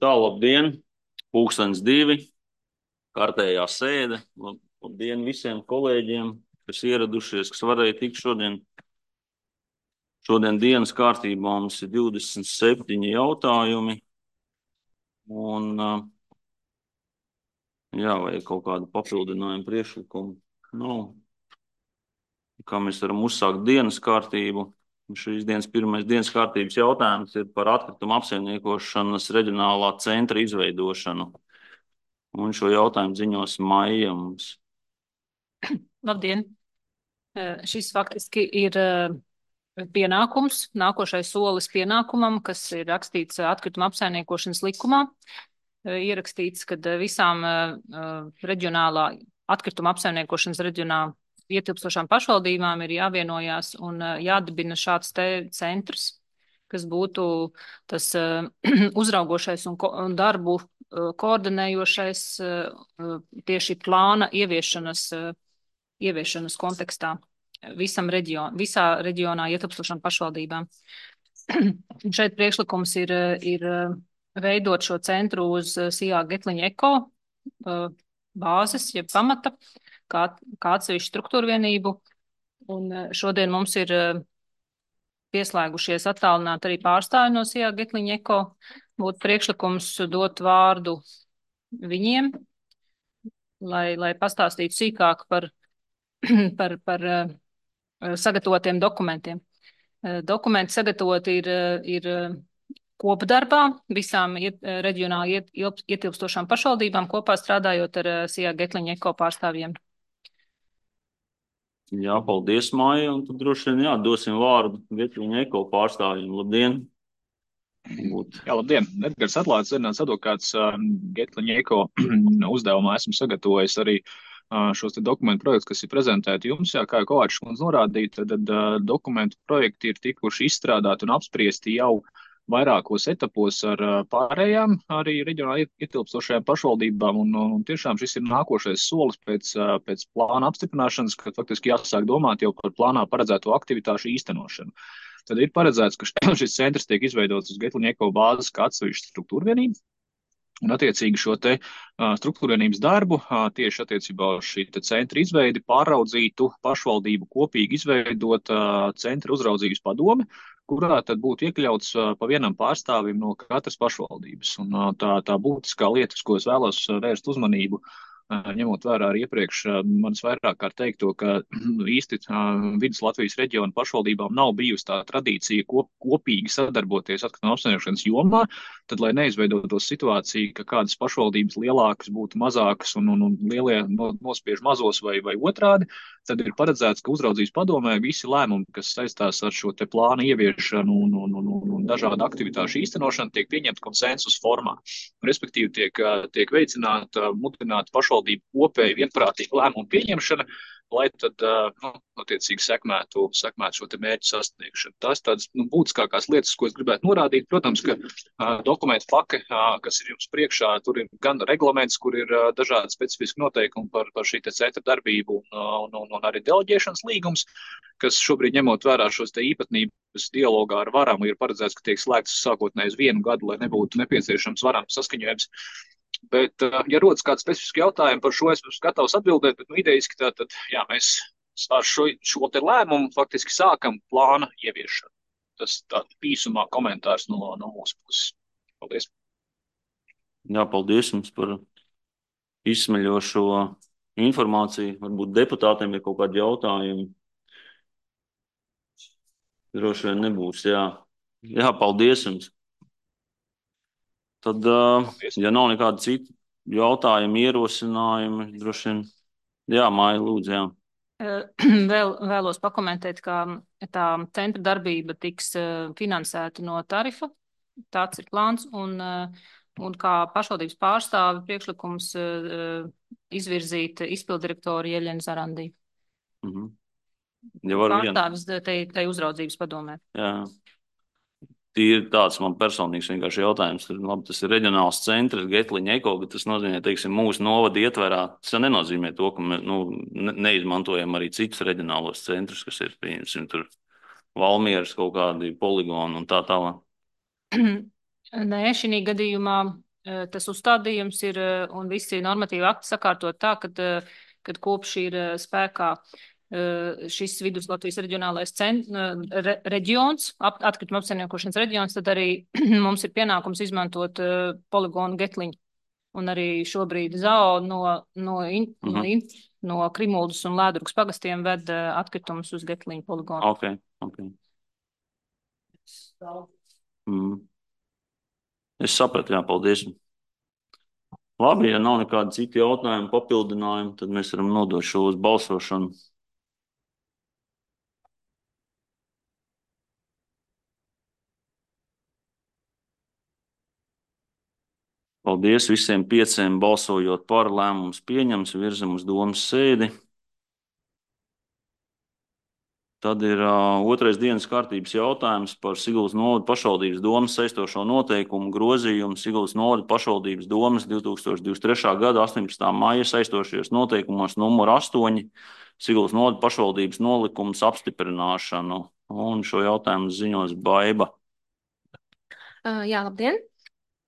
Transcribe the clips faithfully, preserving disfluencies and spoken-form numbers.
Tā, labdien! Pūkstens divi, kārtējā sēde. Lab- Labdien visiem kolēģiem, kas ieradušies, kas varēja tikt šodien. Šodien dienas kārtībā mums ir divdesmit septiņi jautājumi. Un, ā, jā, vai ir kaut kāda papildinājuma priekšlikuma? Nav. Kā mēs varam uzsākt dienas kārtību? Šīs dienas pirmais dienas kārtības jautājums ir par atkritumu apsaimniekošanas reģionālā centra izveidošanu. Un šo jautājumu ziņos Maija mums. Labdien! Eh, Šis faktiski ir eh, pienākums, nākošais solis pienākumam, kas ir rakstīts eh, atkrituma apsaimniekošanas likumā. Eh, Ierakstīts, ka eh, visām eh, eh, reģionālā atkrituma apsaimniekošanas reģionālā ietilpstošām pašvaldībām ir jāvienojās un eh, jādibina šāds te centrs, kas būtu tas eh, uzraugošais un, ko, un darbu eh, koordinējošais eh, eh, tieši plāna ieviešanas eh, ieviešanas kontekstā visam reģion, visā reģionā ietilpstošām pašvaldībām. Šeit priekšlikums ir, ir veidot šo centru uz Sijā Getliņa eko bāzes, jeb pamata, kā, kā atsevišķu struktūru vienību. Un šodien mums ir pieslēgušies attālināt arī pārstāvi no Sijā Getliņa eko. Būtu priekšlikums dot vārdu viņiem, lai, lai pastāstītu sīkāk par par, par sagatavotiem dokumentiem. Dokumenti sagatavoti ir, ir kopdarbā visām iet, reģionāli iet, ietilpstošām pašvaldībām, kopā strādājot ar Sijā Getliņa eko pārstāvjiem. Jā, paldies, Maija. Un tad droši vien jā, dosim vārdu Getliņa eko pārstāvjiem. Labdien! Būt. Jā, labdien! Edgars Atlāts, Zinātnes advokāts, Getliņa eko uzdevumā esmu sagatavojis arī šos te dokumentu projektus, kas ir prezentēti jums. Jā, kā jau Kovačs kundze norādīja, tad, tad dokumentu projekti ir tikuši izstrādāti un apspriesti jau vairākos etapos ar pārējām arī reģionāli ietilpstošajām pašvaldībām, un, un tiešām šis ir nākošais solis pēc, pēc plāna apstiprināšanas, kad faktiski jāsāk domāt jau par plānā paredzēto aktivitāšu īstenošanu. Tad ir paredzēts, ka šis centrs tiek izveidots uz Getliņa eko bāzes kā atsevišķa struktūra vienība. Un attiecīgi šo te uh, struktūrvienības darbu uh, tieši attiecībā uz šī te centra izveidi pāraudzītu pašvaldību kopīgi izveidot uh, centra uzraudzības padome, kurā tad būtu iekļauts uh, pa vienam pārstāvim no katras pašvaldības. Un uh, tā, tā būtiskā lieta, uz ko es vēlos vērst uzmanību, ņemot vērā arī iepriekš manis vairāk kārt teikto, ka īsti Vidus Latvijas reģiona pašvaldībām nav bijusi tā tradīcija kop, kopīgi sadarboties atkrituma apsaimniekošanas jomā, tad, lai neizveidotos situācija, ka kādas pašvaldības lielākas būtu mazākas un, un, un lielie no, nospiež mazos vai, vai otrādi, tad ir paredzēts, ka uzraudzības padomē visi lēmumi, kas saistās ar šo te plānu ieviešanu un, un, un, un, un dažādu aktivitāšu īstenošanu, tiek pieņemta konsensus formā. Respektīvi tiek, tiek veicināta, mudināta pašvaldība kopēji vienprātīga lēmuma pieņemšana, lai tad, nu, attiecīgi sekmētu, sekmētu šo te mērķu sasniegšanu. Tās tādas, nu, būtiskākās lietas, ko es gribētu norādīt. Protams, ka uh, dokumentu pake, uh, kas ir jums priekšā, tur ir gan reglaments, kur ir uh, dažādi specifiski noteikumi par, par šī te centra darbību un, un, un, un arī deleģēšanas līgums, kas šobrīd ņemot vērā šos te īpatnības dialogā ar varam, ir paredzēts, ka tiek slēgts sākotnēji uz vienu gadu, lai nebūtu nepieciešams varam saskaņojums. Bet, ja rodas kāds specifiski jautājumi par šo, es esmu gatavs atbildēt, bet, nu, idejiski tā, tad, jā, mēs ar šo, šo te lēmumu faktiski sākam plāna ieviešanu. Tas tā īsumā komentārs no, no mūsu puses. Paldies. Jā, paldies jums par izsmeļošo informāciju. Varbūt deputātiem ir kaut kādi jautājumi. Droši vien nebūs, jā. Jā, paldies jums. Tad, Paldies. Ja nav nekāda cita jautājuma, ierosinājumi, droši vien, jā, Maija, lūdzu, jā. Vēl, vēlos pakomentēt, ka tā centra darbība tiks finansēta no tarifa, tāds ir plāns, un, un kā pašvaldības pārstāvi priekšlikums izvirzīt izpildirektoru Jeļenu Zarandī. Mhm. Ja pārstāvis te, te uzraudzības padomē. Jā. Ir tāds man personīgs vienkārši jautājums. Labi, tas ir reģionāls centrs, Getliņa eko, bet tas nozīmē, teiksim, mūsu novada ietverā. Tas nenozīmē to, ka mēs nu, neizmantojam arī citus reģionālos centrus, kas ir, pieņemsim, tur Valmieras kaut kādi poligoni un tā tālāk. Nē, šī gadījumā tas uzstādījums ir un visi normatīvi akti sakārtot tā, kad, kad kopš ir spēkā šis Vidus Latvijas reģionālais cent, re, reģions, atkrituma apsaimniekošanas reģions, tad arī mums ir pienākums izmantot poligonu Getliņu. Un arī šobrīd ZAO no, no, in, uh-huh. no, in, no Krimuldas un Lēdrukas pagastiem ved atkritumus uz Getliņu poligonu. Ok, ok. Mm. Es sapratu, jā, paldies. Labi, ja nav nekādi citi jautājumi, papildinājumi, tad mēs varam nodot šo uz balsošanu. Paldies visiem pieciem balsojot par, lēmums pieņems, virzam uz domas sēdi. Tad ir uh, otrais dienas kārtības jautājums par Siguldas novada pašvaldības domas saistošo noteikumu grozījumu Siguldas novada pašvaldības domas divs tūkstoši divdesmit trešā gada astoņpadsmitā maija saistošajos noteikumos numur astoņi Siguldas novada pašvaldības nolikums apstiprināšanu. Un šo jautājumu ziņos Baiba. Uh, jā, labdien!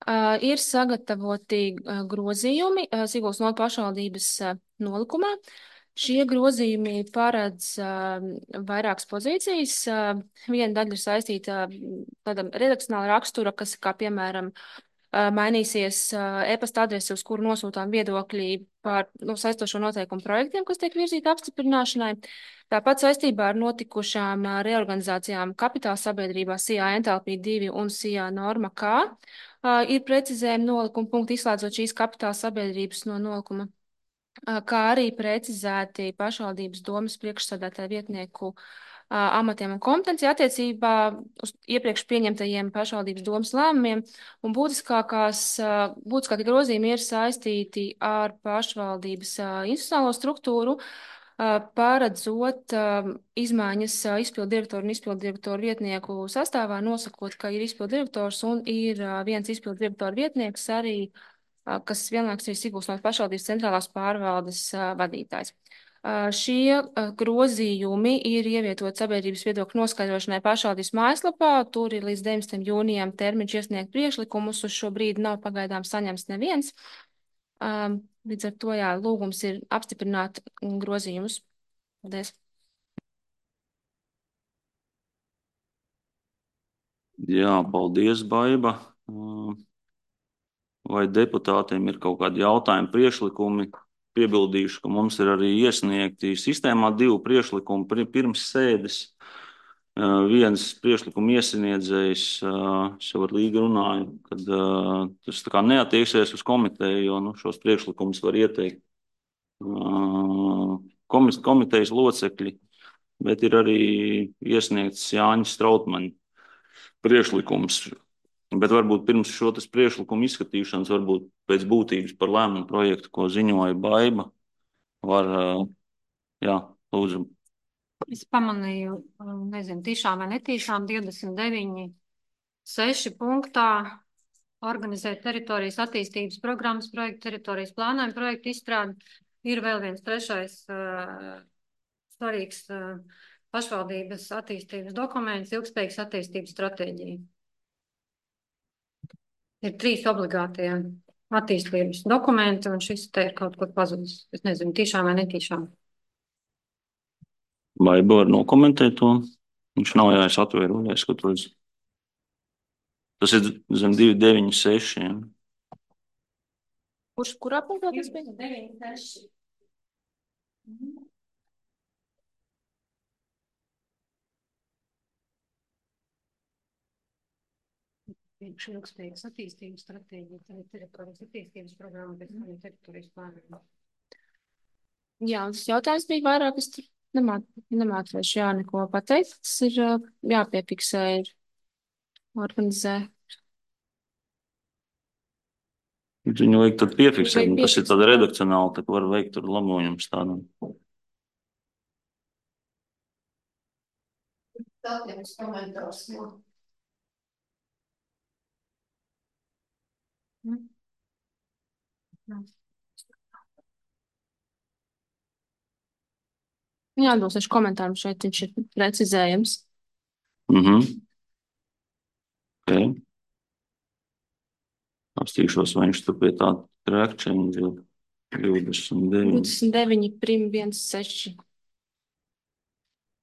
Uh, ir sagatavoti uh, grozījumi uh, Siguldas novada pašvaldības uh, nolikumā. Šie grozījumi paredz uh, vairākas pozīcijas. Uh, viena daļa ir saistīta tāda redakcionāla rakstura, kas, kā piemēram, uh, mainīsies uh, e-pasta adrese, uz kuru nosūtām viedokļi par nu, saistošo noteikumu projektiem, kas tiek virzīti apstiprināšanai. Tāpat saistībā ar notikušām uh, reorganizācijām kapitāla sabiedrībā S I A Entalpija divi un S I A Norma K uh, ir precizējumi nolikuma punkti, izslēdzot šīs kapitāla sabiedrības no nolikuma, kā arī precizēti pašvaldības domas priekšsēdētāju vietnieku uh, amatiem un kompetenci attiecībā uz iepriekš pieņemtajiem pašvaldības domas lēmumiem, un būtiskākās, uh, būtiskākie grozījumi ir saistīti ar pašvaldības uh, institucionālo struktūru, uh, paredzot uh, izmaiņas uh, izpildu direktoru un izpildu direktoru vietnieku sastāvā, nosakot, ka ir izpildu direktors un ir uh, viens izpildu direktoru vietnieks arī, kas vienlaikus ir Siguldas novada pašvaldības centrālās pārvaldes uh, vadītājs. Uh, šie uh, grozījumi ir ievietot sabiedrības viedokļu noskaidrošanai pašvaldības mājaslapā. Tur ir līdz deviņdesmitajam jūnijam termiņš iesniegt priekšlikumus. Uz šo brīdi nav pagaidām saņemts neviens. Uh, līdz ar to, jā, lūgums ir apstiprināt grozījumus. Paldies. Jā, paldies, Baiba. Uh... Vai deputātiem ir kaut kādi jautājumi, priekšlikumi? Piebildīšu, ka mums ir arī iesniegti sistēmā divi priekšlikumi pirms sēdes. Viens priekšlikuma iesniedzējs, es jau ar Līgu runāju, kad tas tā kā neattieksies uz komiteju, jo nu, šos priekšlikumus var ieteikt komitejas locekļi, bet ir arī iesniegts Jāņa Strautmaņa priekšlikums. Bet varbūt pirms šo priekšlikumu izskatīšanas, varbūt pēc būtības par lēmumu projektu, ko ziņoja Baiba, var, jā, lūdzu. Es pamanīju, nezinu, tiešām vai netīšām, divdesmit deviņi seši punktā organizēt teritorijas attīstības programmas projektu, teritorijas plānojumu projektu izstrādi. Ir vēl viens trešais uh, svarīgs uh, pašvaldības attīstības dokuments, ilgspējīgas attīstības stratēģija. Ir trīs obligātie attīstības dokumenti, un šis te ir kaut kur pazudis. Es nezinu, tiešām vai netīšām. Vai var nokomentēt to? Viņš nav jāies atvēru, jāizskatos. Tas ir zem divi deviņi seši. Ja? Kurš, kurā punktā tas bija? divi deviņi seši. Mhm. Ilgspējīgas attīstības stratēģija, tad ir teritorijas attīstības programma, bet arī teritorijas plānojuma. Jā, tas jautājums bija vairāk, es tur nemācīšu jā neko pateikt. Tas ir jāpiefiksē, ir organizē. Viņu vajag tad piefiksēt, un tas ir tāda redakcionāli, tad var veikt tur labojumus tādam. Tādiem komentārs, jā. Mm. Jā, dosašu komentāru šeit, viņš ir precizējams. Mhm. Okay. Apstīšos, vai viņš tur pie tā track change ir divdesmit deviņi. divdesmit deviņi prim viens seši.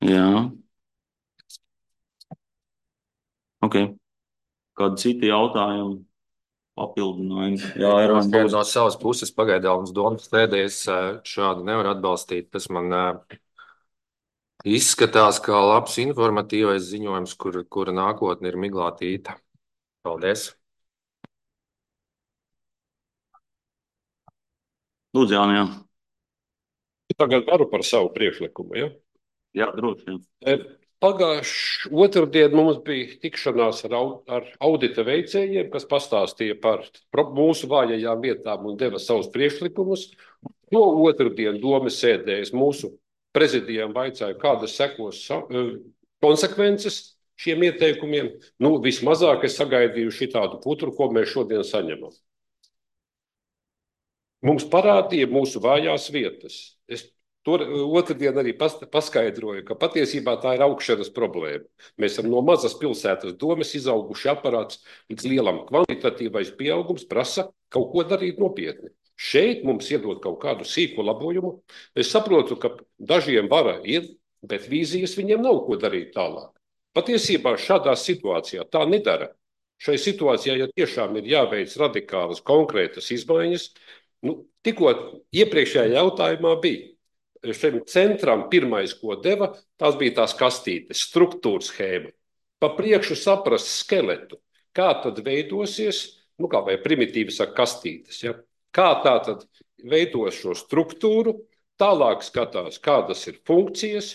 Jā. Ok. Kādi citi jautājumi? Papildinājumi? Jā, ir man būs. No savas puses pagaidām uz domas tēdēs šādu nevar atbalstīt. Tas man izskatās kā labs informatīvais ziņojums, kur, kura nākotne ir miglātīta. Paldies. Lūdzu, Jāni, jā. Tagad varu par savu priekšlikumu, ja? Jā, droši. Pagājuši otrdien mums bija tikšanās ar, ar audita veicējiem, kas pastāstīja par mūsu vājajām vietām un deva savus priekšlikumus. No otrdien domas sēdējas mūsu prezidijām vaicāja, kādas sekos konsekvences šiem ieteikumiem. Nu, vismazāk es sagaidīju šitādu putru, ko mēs šodien saņemam. Mums parādīja mūsu vājās vietas. Es tur otrdien arī paskaidroju, ka patiesībā tā ir augšanas problēma. Mēs esam no mazas pilsētas domas izauguši aparāts, līdz lielam kvalitatīvais pieaugums prasa kaut ko darīt nopietni. Šeit mums iedod kaut kādu sīku labojumu. Es saprotu, ka dažiem vara ir, bet vīzijas viņiem nav ko darīt tālāk. Patiesībā šādā situācijā tā nedara. Šai situācijā, ja tiešām ir jāveic radikālas, konkrētas izmaiņas, nu, tikko iepriekšējā jautājumā bija šim centram pirmais, ko deva, tās bija tās kastītes, struktūras schēma. Pa priekšu saprast skeletu, kā tad veidosies, nu kā vai primitīvi saka kastītes, ja? Kā tā tad veidos šo struktūru, tālāk skatās, kādas ir funkcijas,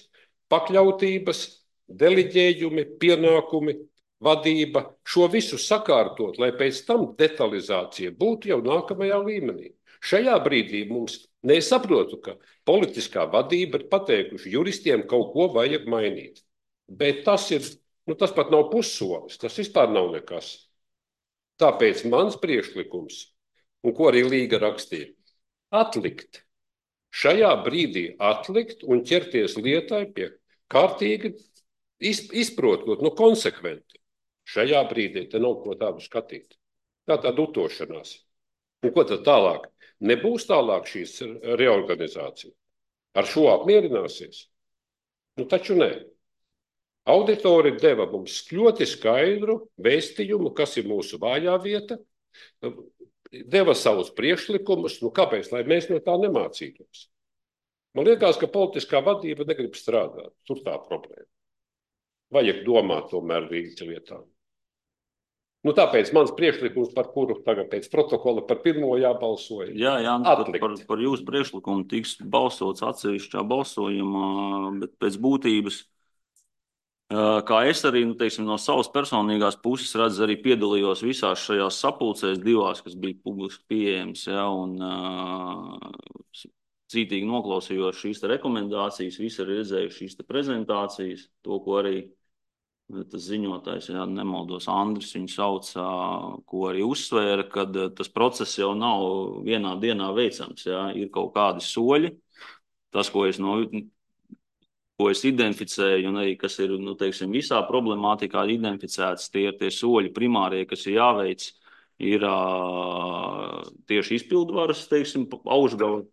pakļautības, deliģējumi, pienākumi, vadība, šo visu sakārtot, lai pēc tam detalizācija būtu jau nākamajā līmenī. Šajā brīdī mums nesaprotu, ka politiskā vadība ir pateikuši juristiem kaut ko vajag mainīt. Bet tas ir, nu tas pat nav pussolis, tas vispār nav nekas. Tāpēc mans priekšlikums, un ko arī Līga rakstīja, atlikt. Šajā brīdī atlikt un ķerties lietai pie kārtīgi izprotot, nu konsekventi. Šajā brīdī te nav ko tādu skatīt. Tā tāda utošanās. Un ko tad tālāk? Nebūs tālāk šīs reorganizācija. Ar šo apmierināsies? Nu taču nē. Auditori deva mums ļoti skaidru vēstījumu, kas ir mūsu vājā vieta, deva savus priekšlikumus, nu kāpēc, lai mēs no tā nemācītos? Man liekas, ka politiskā vadība negrib strādāt. Tur tā problēma. Vajag domāt tomēr rīci lietām. Nu, tāpēc mans priekšlikums, par kuru tagad pēc protokola par pirmo jābalsoja. Jā, jā, par, par, par jūsu priekšlikumu tiks balsots atsevišķā balsojumā, bet pēc būtības, kā es arī, nu, teiksim, no savas personīgās puses redzu, arī piedalījos visās šajās sapulcēs divās, kas bija publiski pieejams, ja, un uh, cītīgi noklausījos šīs te rekomendācijas, visi arī redzējuši šīs te prezentācijas, to, ko arī tas ziņotājs, ja nemaldos, Andris viņu sauc, ko arī uzsvēra, kad tas process jau nav vienā dienā veicams, ja, ir kaut kādi soļi. Tas, ko es, no, ko es identificēju, un arī kas ir, nu, teiksim, visā problemātikā identificēts, tie ir tie soļi primārie, kas ir jāveic, ir uh, tieši izpildvaras, teiksim, augšgala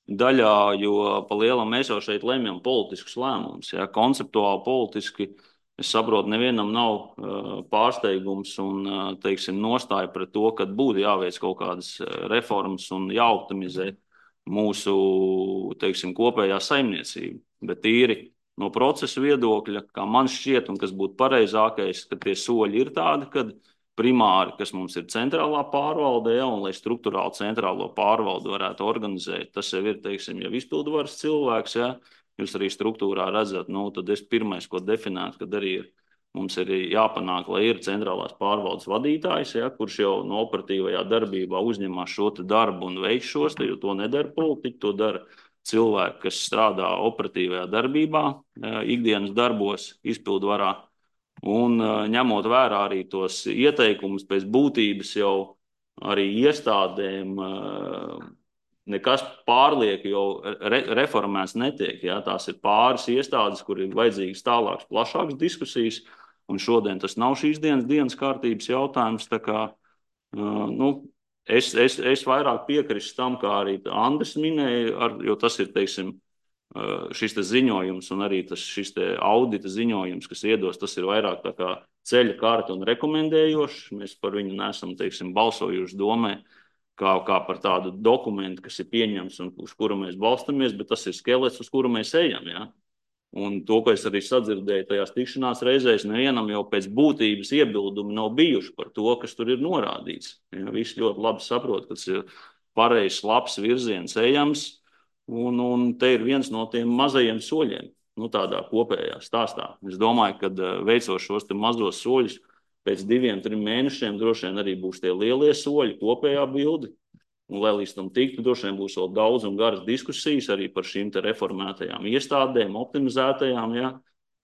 daļā, jo pa lielam mēs jau šeit lemjam politiskus lēmumus, ja, konceptuāli politiski. Es saprotu, nevienam nav uh, pārsteigums un, uh, teiksim, nostāja pret to, ka būtu jāveic kaut kādas reformas un jāoptimizē mūsu, teiksim, kopējā saimniecība. Bet tīri no procesa viedokļa, kā man šķiet un kas būtu pareizākais, ka tie soļi ir tādi, kad primāri, kas mums ir centrālā pārvalde, ja, un lai struktūrāli centrālo pārvaldu varētu organizēt, tas jau ir, teiksim, jau izpildvaras cilvēks, ja, jūs arī struktūrā redzat, nu, tad es pirmais, ko definētu, kad arī ir, mums ir jāpanāk, lai ir centrālās pārvaldes vadītājs, ja, kurš jau no operatīvajā darbībā uzņemās šo te darbu un veic šos, jo to nedara politiķi, to dara cilvēki, kas strādā operatīvajā darbībā, ikdienas darbos, izpildvarā, un ņemot vērā arī tos ieteikumus pēc būtības jau arī iestādēm, nekas pārlieku jau re reformēts netiek. Ja? Tās ir pāris iestādes, kur ir vajadzīgas tālākas, plašākas diskusijas, un šodien tas nav šīs dienas dienas kārtības jautājums. Tā kā, uh, nu, es, es, es vairāk piekristu tam, kā arī Andris minēja, ar, jo tas ir, teiksim, šis te ziņojums un arī tas, šis te audita ziņojums, kas iedos, tas ir vairāk tā kā ceļa kārta un rekomendējošs. Mēs par viņu nesam, teiksim, balsojuši domē, kā, kā par tādu dokumentu, kas ir pieņems un uz kuru mēs balstamies, bet tas ir skelets, uz kuru mēs ejam, ja? Un to, ko es arī sadzirdēju tajās tikšanās reizēs, nevienam jau pēc būtības iebildumi nav bijuši par to, kas tur ir norādīts. Ja, visi ļoti labi saprot, ka tas ir pareizs, labs virziens ejams, un, un te ir viens no tiem mazajiem soļiem, nu tādā kopējā stāstā. Es domāju, ka veicot šos te mazos soļus, pēc diviem, trim mēnešiem droši vien arī būs tie lielie soļi, kopējā bildi. Un, lai līdz tam tiktu, droši vien būs vēl daudz un garas diskusijas arī par šīm te reformētajām iestādēm, optimizētajām, ja,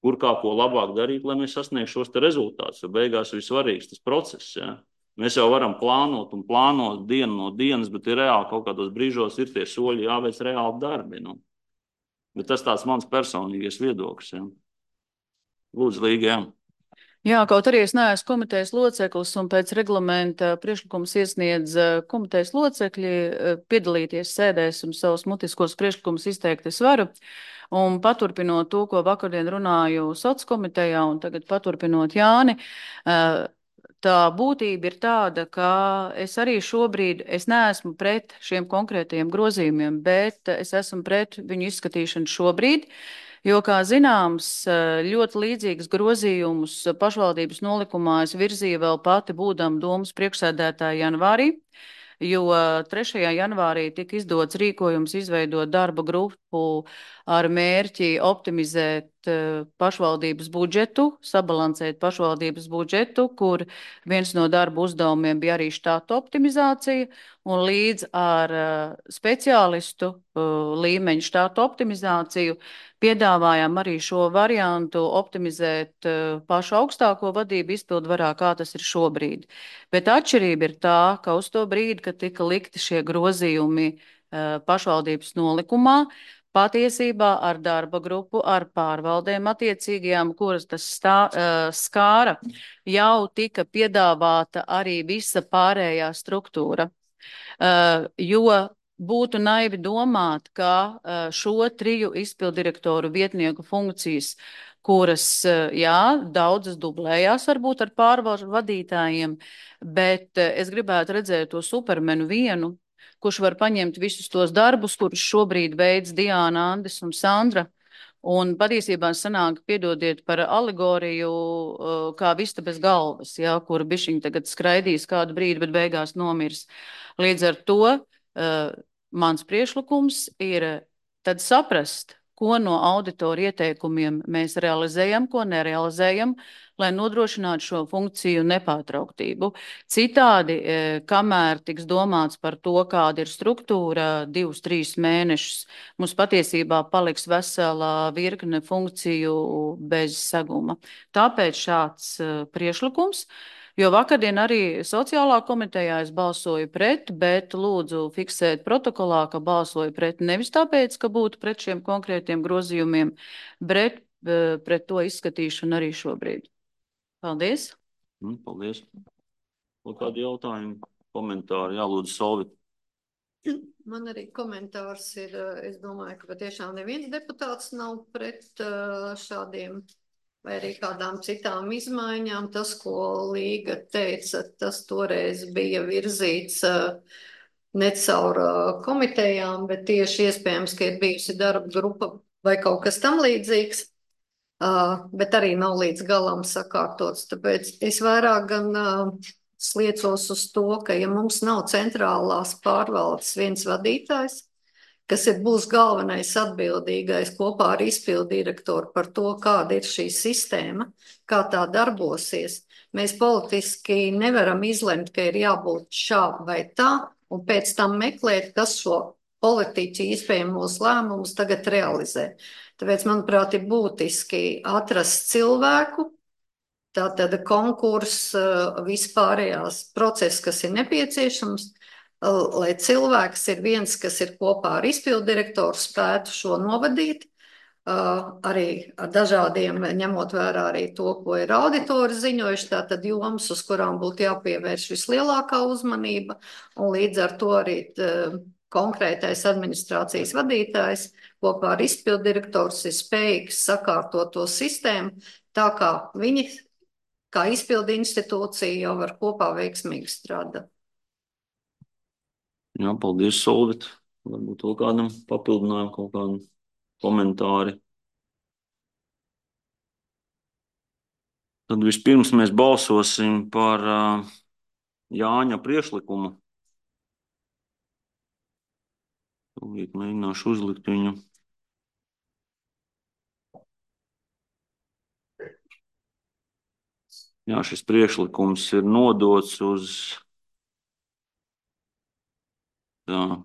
kur kā ko labāk darīt, lai mēs sasniegtu šos te rezultātus. Jo beigās ir svarīgs tas process. Ja. Mēs jau varam plānot un plānot dienu no dienas, bet ir reāli kaut kādos brīžos ir tie soļi jāveic reāli darbi. Nu. Bet tas tāds mans personīgais viedoklis. Ja. Lūdzu, Līga, jā. Jā, kaut arī es neesmu komitejas loceklis un pēc reglamenta priekšlikums iesniedz komitejas locekļi piedalīties sēdēs un savus mutiskos priekšlikumus izteikt es varu. Un paturpinot to, ko vakardien runāju soc komitejā un tagad paturpinot Jāni, tā būtība ir tāda, ka es arī šobrīd, es neesmu pret šiem konkrētajiem grozījumiem, bet es esmu pret viņu izskatīšanu šobrīd. Jo, kā zināms, ļoti līdzīgas grozījumus pašvaldības nolikumā es virzīju vēl pati būdam domas priekšsēdētāja janvārī, jo trešajā janvārī tika izdots rīkojums izveidot darba grupu ar mērķi optimizēt pašvaldības budžetu, sabalansēt pašvaldības budžetu, kur viens no darba uzdevumiem bija arī štata optimizācija, un līdz ar speciālistu līmeņu štata optimizāciju piedāvājām arī šo variantu optimizēt pašu augstāko vadību izpildvarā, kā tas ir šobrīd. Bet atšķirība ir tā, ka uz to brīdi, kad tika likti šie grozījumi pašvaldības nolikumā, patiesībā ar darba grupu, ar pārvaldēm attiecīgajām, kuras tas stā, skāra, jau tika piedāvāta arī visa pārējā struktūra. Jo būtu naivi domāt, ka šo triju izpildirektoru vietnieku funkcijas, kuras, jā, daudzas dublējās varbūt ar pārvaldu vadītājiem, bet es gribētu redzēt to supermenu vienu, kurš var paņemt visus tos darbus, kurus šobrīd veids Diāna, Andis un Sandra. Un patiesībā sanāk, piedodiet par alegoriju, kā vista bez galvas, ja, kur bišķiņi tagad skraidīs kādu brīdi, bet beigās nomirs. Līdz ar to uh, mans priešlikums ir tad saprast, ko no auditoru ieteikumiem mēs realizējam, ko nerealizējam, lai nodrošinātu šo funkciju nepārtrauktību. Citādi, kamēr tiks domāts par to, kāda ir struktūra, divus, trīs mēnešus, mums patiesībā paliks vesela virkne funkciju bez seguma. Tāpēc šāds priešlikums. Jo vakardien arī sociālā komitejā es balsoju pret, bet lūdzu fiksēt protokolā, ka balsoju pret nevis tāpēc, ka būtu pret šiem konkrētiem grozījumiem, bet pret to izskatīšanu arī šobrīd. Paldies. Paldies. Vēl kādi jautājumi, komentāri? Jā, lūdzu, Solvit. Man arī komentārs ir, es domāju, ka patiešām neviens deputāts nav pret šādiem vai arī kādām citām izmaiņām. Tas, ko Līga teica, tas toreiz bija virzīts ne caur komitejām, bet tieši iespējams, ka ir bijusi darba grupa vai kaut kas tam līdzīgs, bet arī nav līdz galam sakārtots. Tāpēc es vairāk gan sliecos uz to, ka ja mums nav centrālās pārvaldes viens vadītājs, kas ir būs galvenais atbildīgais kopā ar izpildu direktoru par to, kāda ir šī sistēma, kā tā darbosies. Mēs politiski nevaram izlemt, ka ir jābūt šā vai tā, un pēc tam meklēt, kas šo politiķi iespējamos lēmumus tagad realizē. Tāpēc, manuprāt, ir būtiski atrast cilvēku, tātad konkurss, vispārējās process, kas ir nepieciešams, lai cilvēks ir viens, kas ir kopā ar izpildu direktoru, spētu šo novadīt, Uh, arī ar dažādiem, ņemot vērā arī to, ko ir auditori ziņojuši, tātad jomas, uz kurām būtu jāpievērš vislielākā uzmanība, un līdz ar to arī uh, konkrētais administrācijas vadītājs kopā ar izpildu direktors ir spējīgs sakārtot to sistēmu, tā kā viņi, kā izpildu institūcija, jau var kopā veiksmīgi strādāt. Jā, paldies, Solvit. Varbūt vēl kādam papildinājumu, kaut kādam komentāri. Tad vispirms mēs balsosim par uh, Jāņa priekšlikumu. Tūlīt mēģināšu uzlikt viņu. Jā, šis priekšlikums ir nodots uz tā.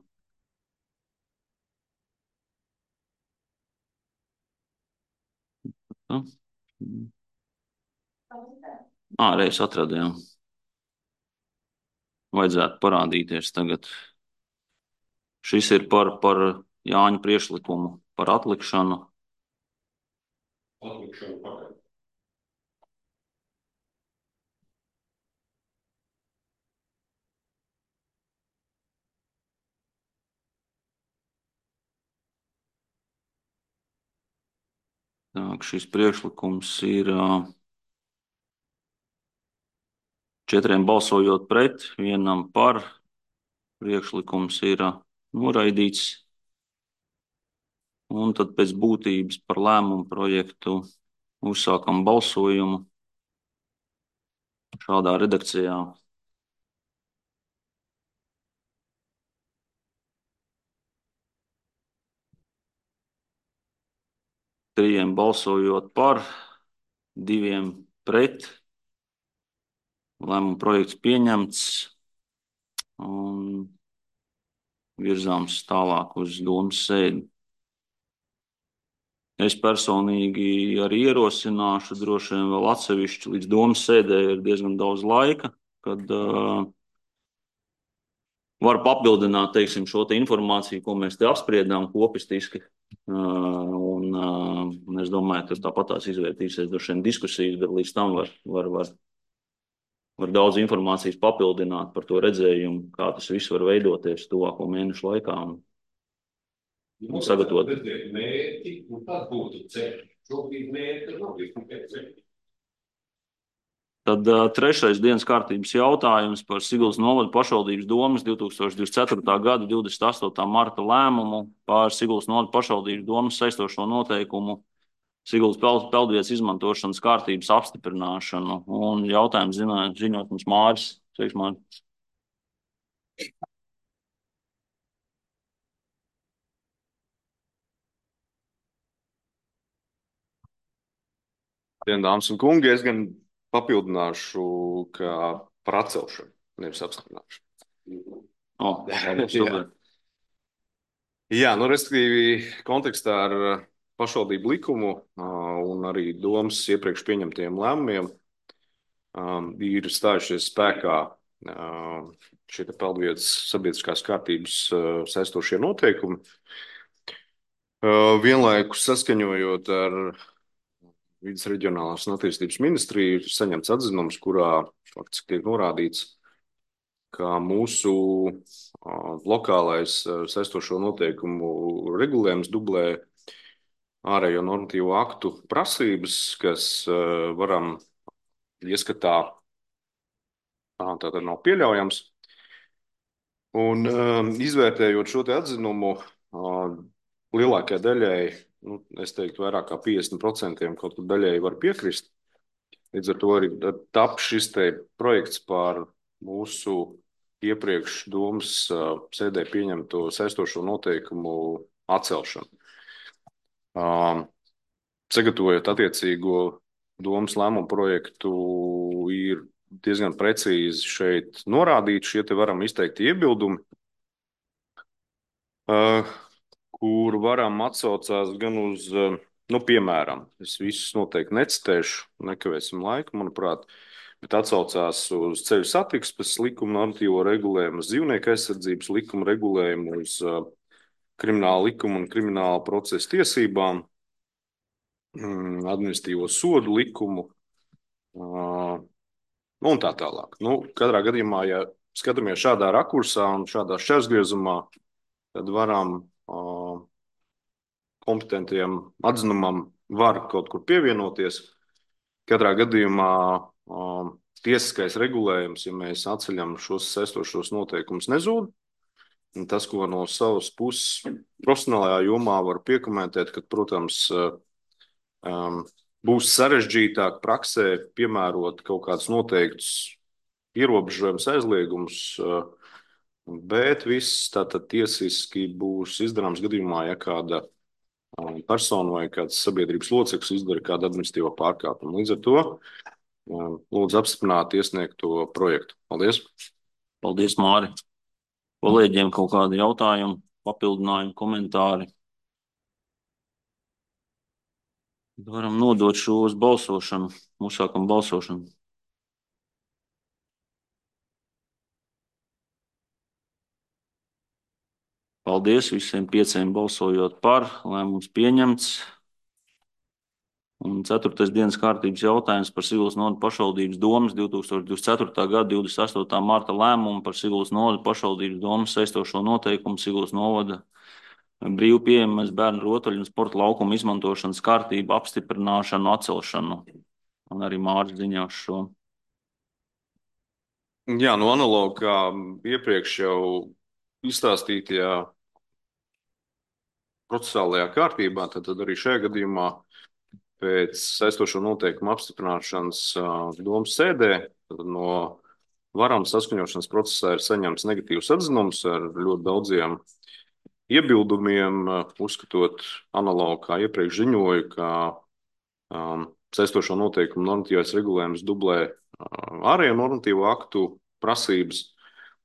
Tā. Ā, reiz atradījām. Vajadzētu parādīties tagad. Šis ir par, par Jāņa priekšlikumu, par atlikšanu. Atlikšanu pagaid. Tā, šis priekšlikums ir četriem balsojot pret, vienam par. Priekšlikums ir noraidīts. Un tad pēc būtības par lēmumu projektu uzsākam balsojumu šādā redakcijā. Trījiem balsojot par, diviem pret. Lēmuma projekts pieņemts un virzāms tālāk uz domas sēdi. Es personīgi arī ierosināšu droši vien vēl atsevišķi līdz domas sēdē ir diezgan daudz laika, kad uh, var papildināt, teiksim, šo te informāciju, ko mēs te apspriedām kopistiski. Uh, un, uh, un es domāju, ka tāpat tās izvērtīsies droši vien diskusijas, bet līdz tam var, var, var, var daudz informācijas papildināt par to redzējumu, kā tas viss var veidoties tuvāko mēnešu laikā. Un, un sagatavot. Mērķi, un tad būtu ceļi. Šobrīd mērķi nav tikai ceļi. Tad uh, trešais dienas kārtības jautājums par Siguldas novada pašvaldības domes divtūkstoš divdesmit ceturtā gada divdesmit astotā marta lēmumu par Siguldas novada pašvaldības domes saistošo noteikumu Siguldas peld, peldvietas izmantošanas kārtības apstiprināšanu. Un jautājums zināt, ziņot mums Māris. Sveiks, Māris. Dien, dāmas un kungi, es gan papildināšu, ka par atcelšanu, nevis apstiprināšanu. Oh, jā. Jā, nu, respektīvi, kontekstā ar pašvaldību likumu un arī domas iepriekš pieņemtiem lēmumiem ir stājušies spēkā šie peldvietas sabiedriskās kārtības saistošie noteikumi. Vienlaikus saskaņojot ar Vides reģionālās un attīstības ministrija ir saņemts atzinums, kurā faktiski tiek norādīts, ka mūsu lokālais saistošo noteikumu regulējums dublē ārējo normatīvo aktu prasības, kas varam ieskatā tātad nav pieļaujams. Un izvērtējot šo te atzinumu, lielākajai daļai, nu, es teiktu, vairāk kā piecdesmit procenti kaut kur daļēji var piekrist. Līdz ar to arī tap šis te projekts par mūsu iepriekš domas sēdē pieņemto saistošo noteikumu atcelšanu. Sagatavojot attiecīgo domas lēmumu projektu, ir diezgan precīzi šeit norādīti šie te varam izteikt iebildumi, kur varam atsaucās gan uz, nu, piemēram, es visus noteikti necitēšu, nekavēsim laiku, manuprāt, bet atsaucās uz ceļu satiksmes likuma normatīvo regulējumu, uz dzīvnieku aizsardzības likuma regulējumu, uz krimināla likuma un krimināla procesa tiesībām, administratīvo sodu likumu un tā tālāk. Nu, katrā gadījumā, ja skatāmies šādā rakursā un šādā šķērsgriezumā, tad varam kompetentiem atzinumam var kaut kur pievienoties. Katrā gadījumā tiesiskais regulējums, ja mēs atceļam šos saistošos noteikumus, nezūd. Un tas, ko no savas puses profesionālajā jomā var piekomentēt, ka, protams, būs sarežģītāk praksē piemērot kaut kādus noteiktus ierobežojumus, aizliegumus, bet viss tātad tiesiski būs izdarāms gadījumā, ja kāda persona vai kāds sabiedrības loceklis izdara kādu administratīvo pārkāpumu. Līdz ar to lūdzu apstiprināt iesniegto projektu. Paldies! Paldies, Māri! Kolēģiem kaut kādi jautājumi, papildinājumi, komentāri? Varam nodot šo uz balsošanu. Uzsākam balsošanu. Paldies visiem pieciem balsojot par. Lēmums pieņemts. Un ceturtais dienas kārtības jautājums par Siguldas novada pašvaldības domes divs tūkstoši divdesmit ceturtā gada divdesmit astotā marta lēmumu par Siguldas novada pašvaldības domes saistošo noteikumu Siguldas novada brīvu pieejamas bērnu rotaļu un sporta laukumu izmantošanas kārtību apstiprināšanu, atcelšanu. Un arī Māris ziņās šo. Jā, nu analogi kā iepriekš jau izstāstītajā procesālajā kārtībā, tad, tad arī šajā gadījumā pēc saistošo noteikumu apstiprināšanas domas sēdē no varam saskaņošanas procesā ir saņemts negatīvs atzinums ar ļoti daudziem iebildumiem, uzskatot analogu, kā iepriekš ziņoju, ka um, saistošo noteikumu normatīvais regulējums dublē uh, ārējo normatīvo aktu prasības.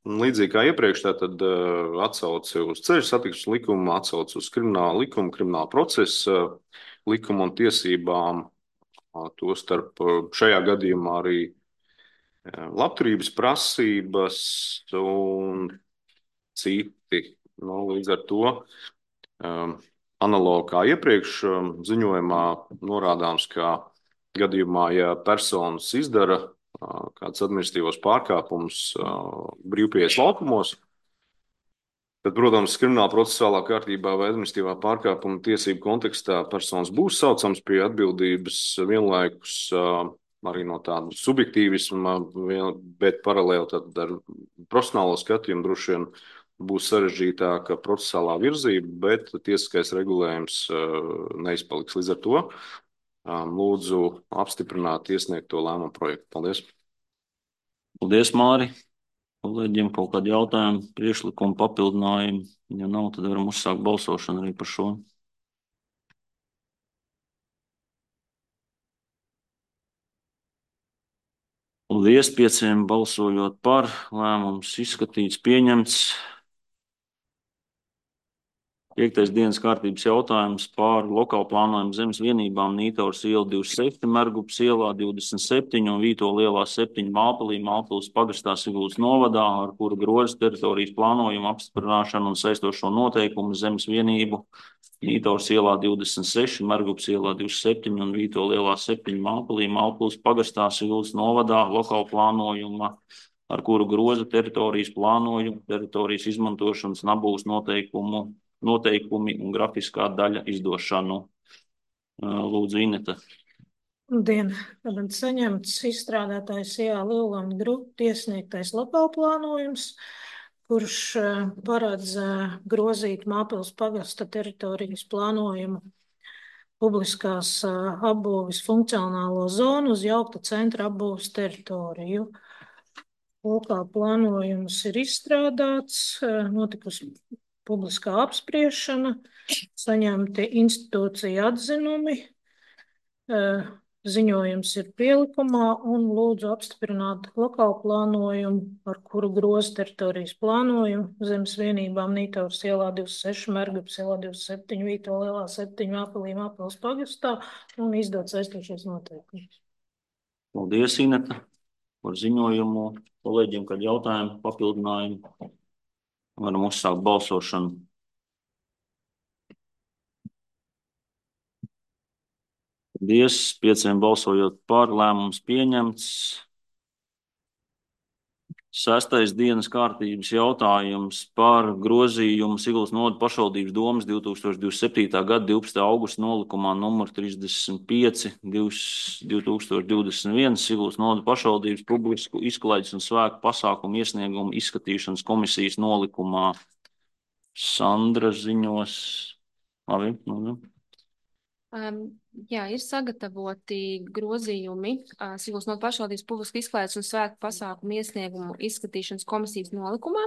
Un līdzīgi kā iepriekš, tātad uh, atsauci uz ceļu satiksmes likumu, atsauci uz kriminālu likumu, kriminālu procesu uh, likumu un tiesībām, uh, to starp uh, šajā gadījumā arī uh, labturības prasības un citi. Nu, līdz ar to um, analogi kā iepriekš um, ziņojumā norādāms, ka gadījumā, ja personas izdara uh, kāds administratīvos pārkāpumus uh, brīvpieejas laukumos, tad, protams, krimināla procesālā kārtībā vai administratīvā pārkāpuma tiesību kontekstā personas būs saucams pie atbildības vienlaikus uh, arī no tāda subjektīvisma, bet paralēli tad ar profesionālo skatījumu droši vien būs sarežģītāka procesālā virzība, bet tiesiskais regulējums uh, neizpaliks. Līdz ar to um, lūdzu apstiprināt iesniegto lēmumu projektu. Paldies! Paldies, Māri! Kolēģiem kaut kādi jautājumi, priekšlikumi, papildinājumi? Ja nav, tad varam uzsākt balsošanu arī par šo. Paldies pieciem balsojot par. Lēmums izskatīts, pieņemts. Piektais dienas kārtības jautājums par lokālu plānojumu zemes vienībām Nītaurs iela divdesmit seši, Mergupas ielā divdesmit septiņi un Vītola ielā septiņi Māpelī, Māpeles pagastā Siguldas novadā, ar kuru grozas teritorijas plānojumu apstiprināšanu un saistošo noteikumu zemes vienību Nītaurs ielā divdesmit seši, Mergupas ielā divdesmit septiņi un Vītola ielā septiņi Māpelī, Māpeles pagastā Siguldas novadā lokālu plānojuma, ar kuru groza teritorijas plānojumu, teritorijas izmantošanas nabūs noteikumu noteikumi un grafiskā daļa izdošanu. Lūdzu, Ineta. Labdien! Tad saņemts izstrādātājs J. Lielanda grupa iesniegtais lokālplānojums, kurš paredz grozīt Māpeles pagasta teritorijas plānojumu publiskās apbūves funkcionālo zonu uz jaukta centra apbūves teritoriju. Lokālplānojums ir izstrādāts, notikusi publiskā apspriešana, saņemti institūcija atzinumi, ziņojums ir pielikumā un lūdzu apstiprināt lokālu plānojumu, ar kuru groza teritorijas plānojumu zemes vienībām Nītaurs ielā divdesmit seši, Mergupas ielā divdesmit septiņi, Vītola ielā septiņi, Māpelī, Māpeles pagastā un izdot saistošos noteikumus. Paldies, Ineta, par ziņojumu. Kolēģiem, kad jautājumi, papildinājumi. Varam uzsākt balsošanu. Paldies. Pieciem balsojot par, lēmums pieņemts. Sestais dienas kārtības jautājums par grozījumu Siguldas novada pašvaldības domes divi tūkstoši divdesmit septītā gada divpadsmitā augusta nolikumā numur trīsdesmit pieci divi tūkstoši divdesmit viens Siguldas novada pašvaldības publisku izklaides un svēku pasākumu iesniegumu izskatīšanas komisijas nolikumā. Sandra ziņos. Labi, labi. Um, jā, ir sagatavoti grozījumi uh, Siguldas novada pašvaldības publisku izklaides un svētku pasākumu iesniegumu izskatīšanas komisijas nolikumā.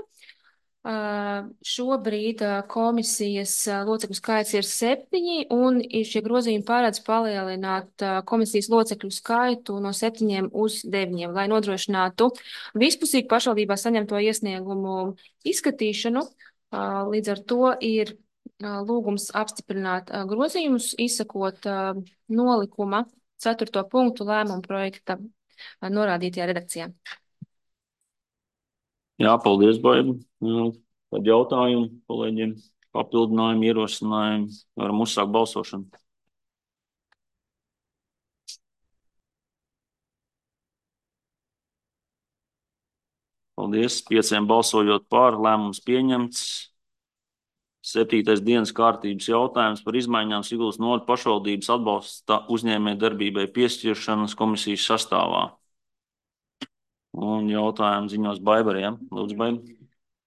Uh, šobrīd uh, komisijas uh, locekļu skaits ir septiņi, un šie grozījumi paredz palielināt uh, komisijas locekļu skaitu no septiņiem uz deviņiem, lai nodrošinātu vispusīgu pašvaldībā saņemto iesniegumu izskatīšanu. Uh, līdz ar to ir lūgums apstiprināt grozījumus, izsakot nolikuma ceturto punktu lēmuma projekta norādītajā redakcijā. Jā, paldies, Baiba. Tad jautājumu kolēģiem, papildinājumu, ierosinājumu. Varam uzsākt balsošanu. Paldies. Pieciem balsojot par, lēmums pieņemts. Septītais dienas kārtības jautājums par izmaiņām Siguldas novada pašvaldības atbalsta uzņēmējdarbībai piešķiršanas komisijas sastāvā. Un jautājumu ziņos Baibariem. Lūdzu, Baiba.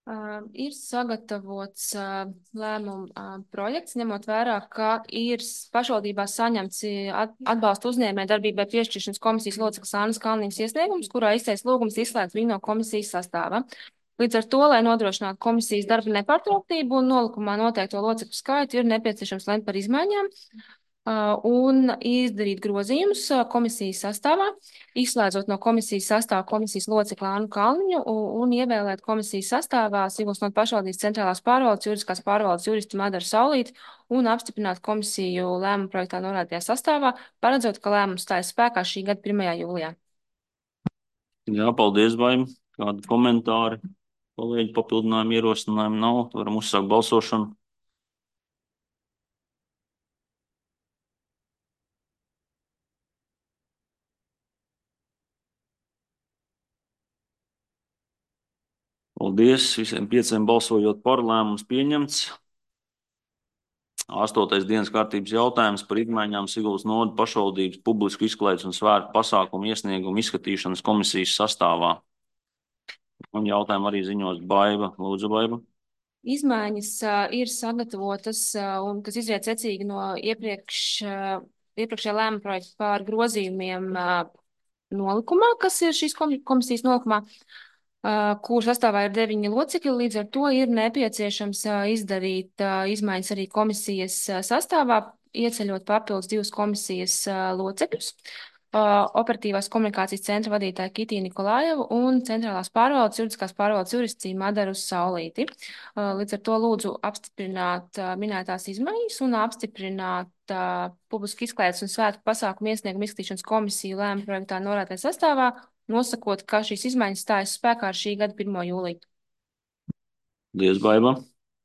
Uh, ir sagatavots uh, lēmuma uh, projekts, ņemot vērā, ka ir pašvaldībā saņemts at atbalsta uzņēmējdarbībai piešķiršanas komisijas locekles Annas Kalniņas iesniegums, kurā izteikts lūgums izslēgt viņu no komisijas sastāva. Līdz ar to, lai nodrošinātu komisijas darba nepārtrauktību un nolikumā noteikto locekļu skaitu, ir nepieciešams lemt par izmaiņām uh, un izdarīt grozījumus uh, komisijas sastāvā, izslēdzot no komisijas sastāvā komisijas locekli Annu Kalniņu un, un ievēlēt komisijas sastāvā Siguldas novada pašvaldības centrālās pārvaldes juridiskās pārvaldes juristu Madaru Saulīti un apstiprināt komisiju lēmuma projektā norādītajā sastāvā, paredzot, ka lēmums stājas spēkā šī gada pirmajā jūlijā. Jā, paldies, Baiba. Kādi komentāri? Kolēģi, papildinājumu, ierosinājumu nav. Varam uzsākt balsošanu. Paldies. Visiem pieciem balsojot par, lēmums pieņemts. Astotais dienas kārtības jautājums par izmaiņām Siguldas novada pašvaldības publisku izklaides un svētku pasākumu iesniegumu izskatīšanas komisijas sastāvā. Un jautājumu arī ziņos Baiba. Lūdzu, Baiba. Izmaiņas uh, ir sagatavotas uh, un kas izriet secīgi no iepriekš, uh, iepriekšējā lēmuma projekta par grozījumiem uh, nolikumā, kas ir šīs komisijas nolikumā, uh, kur sastāvā ir deviņi locekļi. Līdz ar to ir nepieciešams uh, izdarīt uh, izmaiņas arī komisijas uh, sastāvā, ieceļot papildus divus komisijas uh, locekļus. Uh, operatīvās komunikācijas centra vadītāja Kitija Nikolājevu un centrālās pārvaldes juridiskās pārvaldes jurists Madaru Saulīti. Uh, līdz ar to lūdzu apstiprināt uh, minētās izmaiņas un apstiprināt uh, publisku izklaides un svētku pasākumu iesniegumu izskatīšanas komisiju lēmuma projektā norādītajā sastāvā, nosakot, ka šīs izmaiņas stājas spēkā ar šī gada pirmo jūliju. Paldies, Baiba.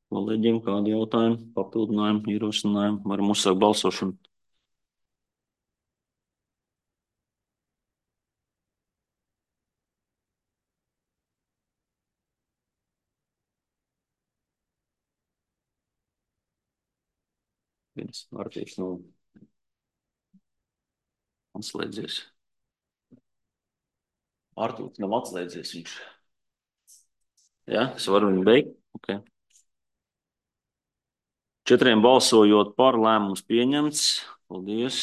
Kolēģiem, kādi jautājumi, papildinājumi, ierosinājumi? Varam uzsākt balsošanu. Viens vārtīgs nav atslēdzies. Artūrs nav atslēdzies viņš. Jā, es varu viņu beigt? Ok. Četriem balsojot par, lēmums pieņemts. Paldies.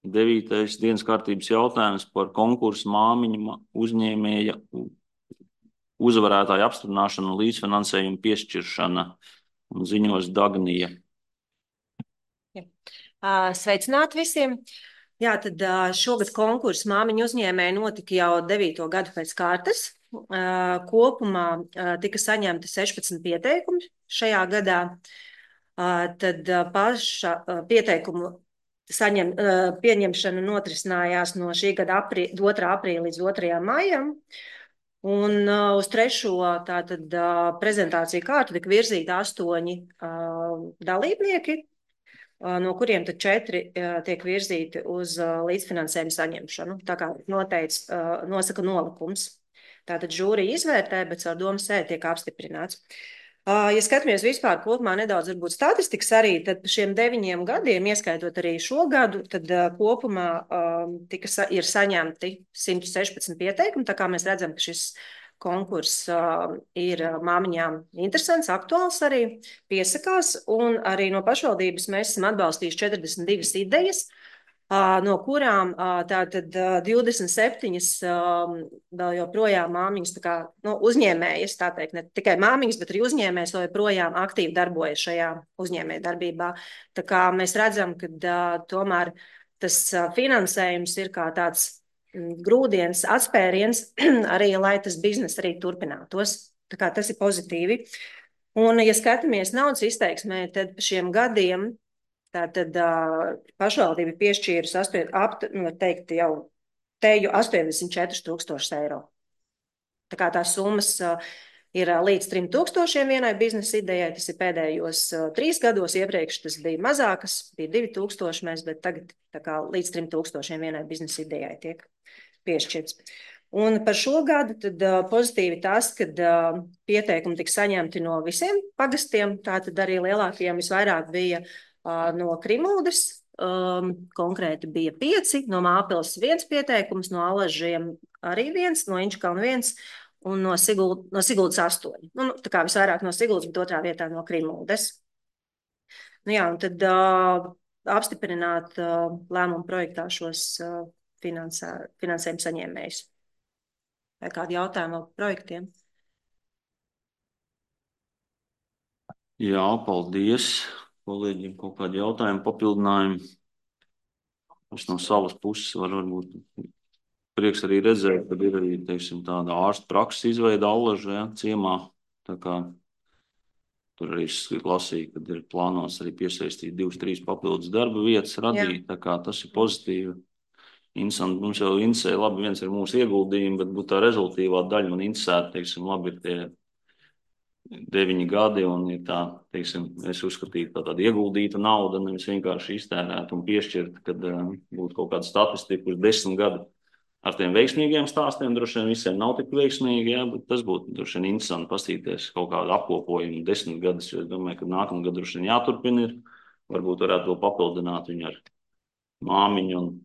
Devītais dienas kārtības jautājums par konkursu māmiņa uzņēmēja uzvarētāju apstiprināšanu un līdzfinansējumu piešķiršana. Un ziņos Dagnija. Sveicināti visiem! Jā, tad šogad konkurss māmiņu uzņēmēji notika jau devīto gadu pēc kārtas. Kopumā tika saņemti sešpadsmit pieteikumi šajā gadā. Tad paša pieteikumu saņem, pieņemšana notrisinājās no šī gada aprī, otrā aprīļa līdz otrajam maijam. Un uh, uz trešo tātad uh, prezentāciju kārtu tika virzīti astoņi uh, dalībnieki. no kuriem tad četri tiek virzīti uz līdzfinansējumu saņemšanu, tā kā noteic, nosaka nolikums. Tātad žūrija izvērtē, bet caur domas sēdi tiek apstiprināts. Ja skatāmies vispār kopumā nedaudz varbūt statistikas arī, tad par šiem deviņiem gadiem, ieskaitot arī šo gadu, tad kopumā tika, ir saņemti simt sešpadsmit pieteikumi, tā kā mēs redzam, ka šis konkurss uh, ir māmiņām interesants, aktuāls arī, piesakās, un arī no pašvaldības mēs esam atbalstījuši četrdesmit divas idejas, uh, no kurām uh, tātad uh, divdesmit septiņas uh, vēl joprojām māmiņas, tā kā nu, uzņēmējas, tā teikt, ne tikai māmiņas, bet arī uzņēmējas vēl joprojām aktīvi darbojas šajā uzņēmēja darbībā. Tā kā mēs redzam, ka uh, tomēr tas uh, finansējums ir kā tāds grūdienis, atspēriens arī, lai tas biznes arī turpinātos. Tā kā tas ir pozitīvi. Un, ja skatāmies naudas izteiksmē, tad par šiem gadiem tātad uh, pašvaldība piešķīrus ap, nu, teikt, jau teju astoņdesmit četri tūkstoši eiro. Tā kā tās summas uh, ir līdz trim tūkstošiem vienai biznesa idejai, tas ir pēdējos uh, trīs gados, iepriekš tas bija mazākas, bija divi tūkstoši mēs, bet tagad tā kā līdz trim tūkstošiem vienai biznesa idejai tiek piešķirts. Un par šo gadu tad uh, pozitīvi tas, kad uh, pieteikumi tika saņemti no visiem pagastiem, tātad arī lielākajiem visvairāk bija uh, no Krimuldes, um, konkrēti bija pieci, no Māpils viens pieteikums, no Alažiem arī viens, no Inčkalna viens un no, Siguld, no Siguldas astoņi. Nu, tā kā visvairāk no Siguldas, bet otrā vietā no Krimuldes. Nu jā, un tad uh, apstiprināt uh, lēmumu projektā šos uh, Finansē, finansējuma saņēmējus. Vai kādi jautājumi vēl projektiem? Jā, paldies. Kolēģiem kaut kādi jautājumi, papildinājumi. Es no savas puses varu varbūt prieks arī redzēt, ka ir arī, teiksim, tāda ārsta prakses izveida Allaža, ja, ciemā. Tā kā tur arī es lasīju, kad ir plānots arī piesaistīt divas, trīs papildus darba vietas radīt. Jā. Tā kā tas ir pozitīvi. Interesanti, mums jau interesē, labi, viens ir mūsu ieguldījumi, bet būtu tā rezultīvā daļa man interesēta, teiksim, labi, ir tie deviņi gadi un ir tā, teiksim, es uzskatītu tā tāda ieguldīta nauda, nevis vienkārši iztērēt un piešķirt, kad uh, būtu kaut kāda statistika uz desmit gadu ar tiem veiksmīgiem stāstiem, droši vien visiem nav tik veiksmīgi, jā, bet tas būtu droši vien interesanti pastīties kaut kādu apkopojumu desmit gadus, jo es domāju, ka nākamā gada droši vien jāturpina ir, varbūt varētu to papildināt viņu ar māmiņu un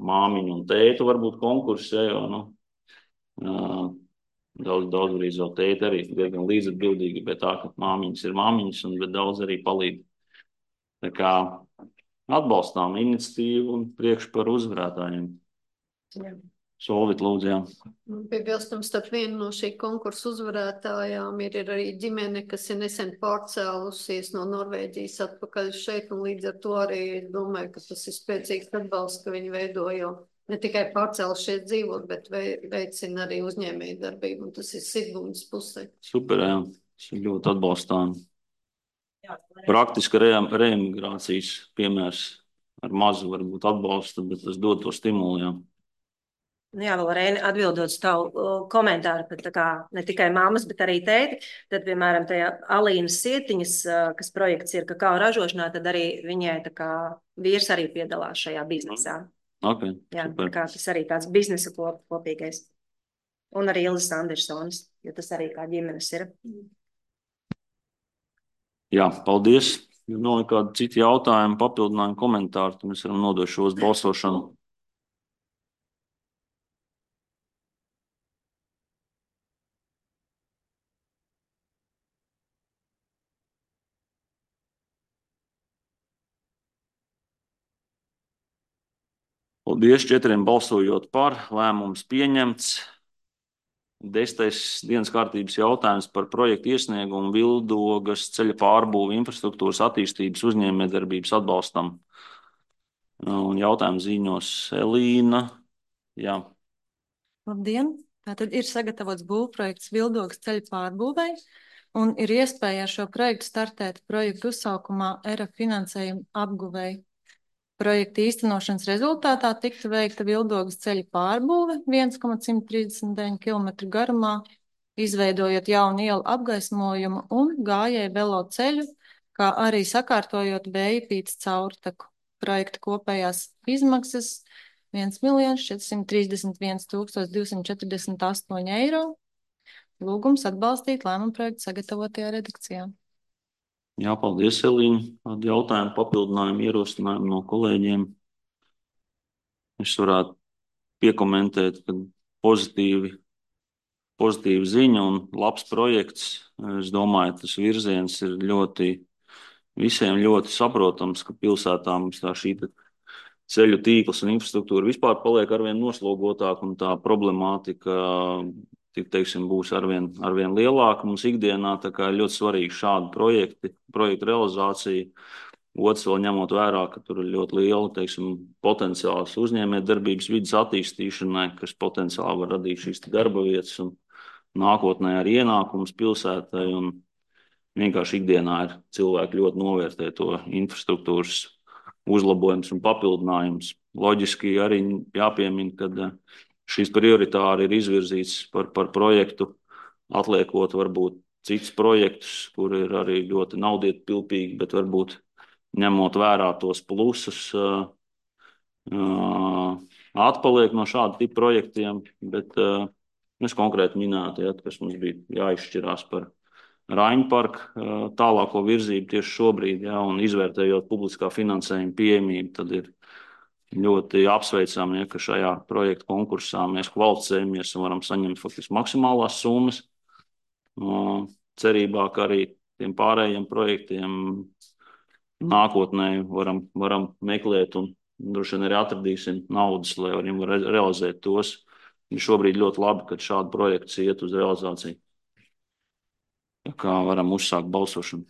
māmiņu un tētu varbūt konkursi, ja, jo, nu, uh, daudz, daudz arī vēl tēti arī diezgan līdzatbildīgi, bet tā, ka māmiņas ir māmiņas, un bet daudz arī palīdz. Tā kā atbalstām iniciatīvu un priekš par uzvarētājiem. Jā. Solvit, lūdzu, jā. Piebilstams, starp vienu no šī konkursu uzvarētājām ir, ir arī ģimene, kas ir nesen pārcēlusies no Norvēģijas atpakaļ šeit, un līdz ar to arī domāju, ka tas ir spēcīgs atbalsts, ka viņi veidojo ne tikai pārcēlus šeit dzīvot, bet veicina arī uzņēmēju darbību, un tas ir Siguldas pusē. Super, jā. Tas ir ļoti atbalstām. Praktiska re reemigrācijas piemērs ar mazu varbūt atbalstu, bet tas dod to stimulu, jā. Nu jā, vēl Reini, atbildot tavu uh, komentāru, pat tā kā ne tikai mammas, bet arī tēti, tad, piemēram, tajā Alīnas Sietiņas, uh, kas projekts ir kakao ražošanā, tad arī viņai tā kā vīrs arī piedalās šajā biznesā. Okay, jā, super. Tā kā tas arī tāds biznesa kop, kopīgais. Un arī Ilzas Andersonas, jo tas arī kā ģimenes ir. Jā, paldies. Ja nav nekādi citi jautājumi, papildinājumi, komentāri, tad mēs varam nodot šo uz balsošanu. Paldies, četriem balsojot par, lēmums pieņemts. Desmitais dienas kārtības jautājums par projektu iesniegumu Vildogas ceļa pārbūvi infrastruktūras attīstības uzņēmējdarbības atbalstam. Un jautājumu ziņos Elīna. Jā. Labdien! Tātad ir sagatavots būvprojekts Vildogas ceļa pārbūvei un ir iespēja ar šo projektu startēt projektu uzsaukumā E R A finansējumu apguvei. Projekta īstenošanas rezultātā tiktu veikta Vildogas ceļa pārbūve viens komats simt trīsdesmit deviņi kilometri garumā, izveidojot jaunu ielu apgaismojumu un gājēju velo ceļu kā arī sakārtojot Bējupītes caurtaku. Projekta kopējās izmaksas viens miljons četrsimt trīsdesmit viens tūkstoši divsimt četrdesmit astoņi eiro. Lūgums atbalstīt lēmumu projektu sagatavotajā redakcijā. Jā, paldies, Elīna. Kādi jautājumi, papildinājumi, ierosinājumi no kolēģiem? Es varētu piekomentēt, ka pozitīvi, pozitīva ziņa un labs projekts. Es domāju, tas virziens ir ļoti, visiem ļoti saprotams, ka pilsētā mums tā šī ceļu tīkls un infrastruktūra vispār paliek arvien noslogotāk un tā problemātika, tik teiksim, būs arvien, arvien lielāka mums ikdienā, tā kā ir ļoti svarīgi šādi projekti, projektu realizācija. Otrs vēl ņemot vērā, ka tur ir ļoti liela, teiksim, potenciāls uzņēmējdarbības vidas attīstīšanai, kas potenciāli var radīt šīs darba vietas un nākotnē arī ienākums pilsētai. Un vienkārši ikdienā ir cilvēki ļoti novērtē to infrastruktūras uzlabojums un papildinājums. Loģiski arī jāpiemina, ka šīs prioritāri ir izvirzīts par, par projektu, atliekot varbūt cits projektus, kur ir arī ļoti naudietpilpīgi, bet varbūt ņemot vērā tos plusus, uh, uh, atpaliek no šāda tipa projektiem, bet uh, es konkrēti minētu, ja, kas mums bija jāizšķirās par Raiņu parku uh, tālāko virzību tieši šobrīd, ja, un izvērtējot publiskā finansējuma pieejamību, tad ir ļoti apsveicami, ja, ka šajā projekta konkursā mēs kvalificējamies un varam saņemt faktiski maksimālās summas. Uh, cerībā, ka arī tiem pārējiem projektiem nākotnē varam, varam meklēt un droši vien arī atradīsim naudas, lai varam re realizēt tos. Ir šobrīd ļoti labi, kad šādi projekts iet uz realizāciju. Tā kā varam uzsākt balsošanu.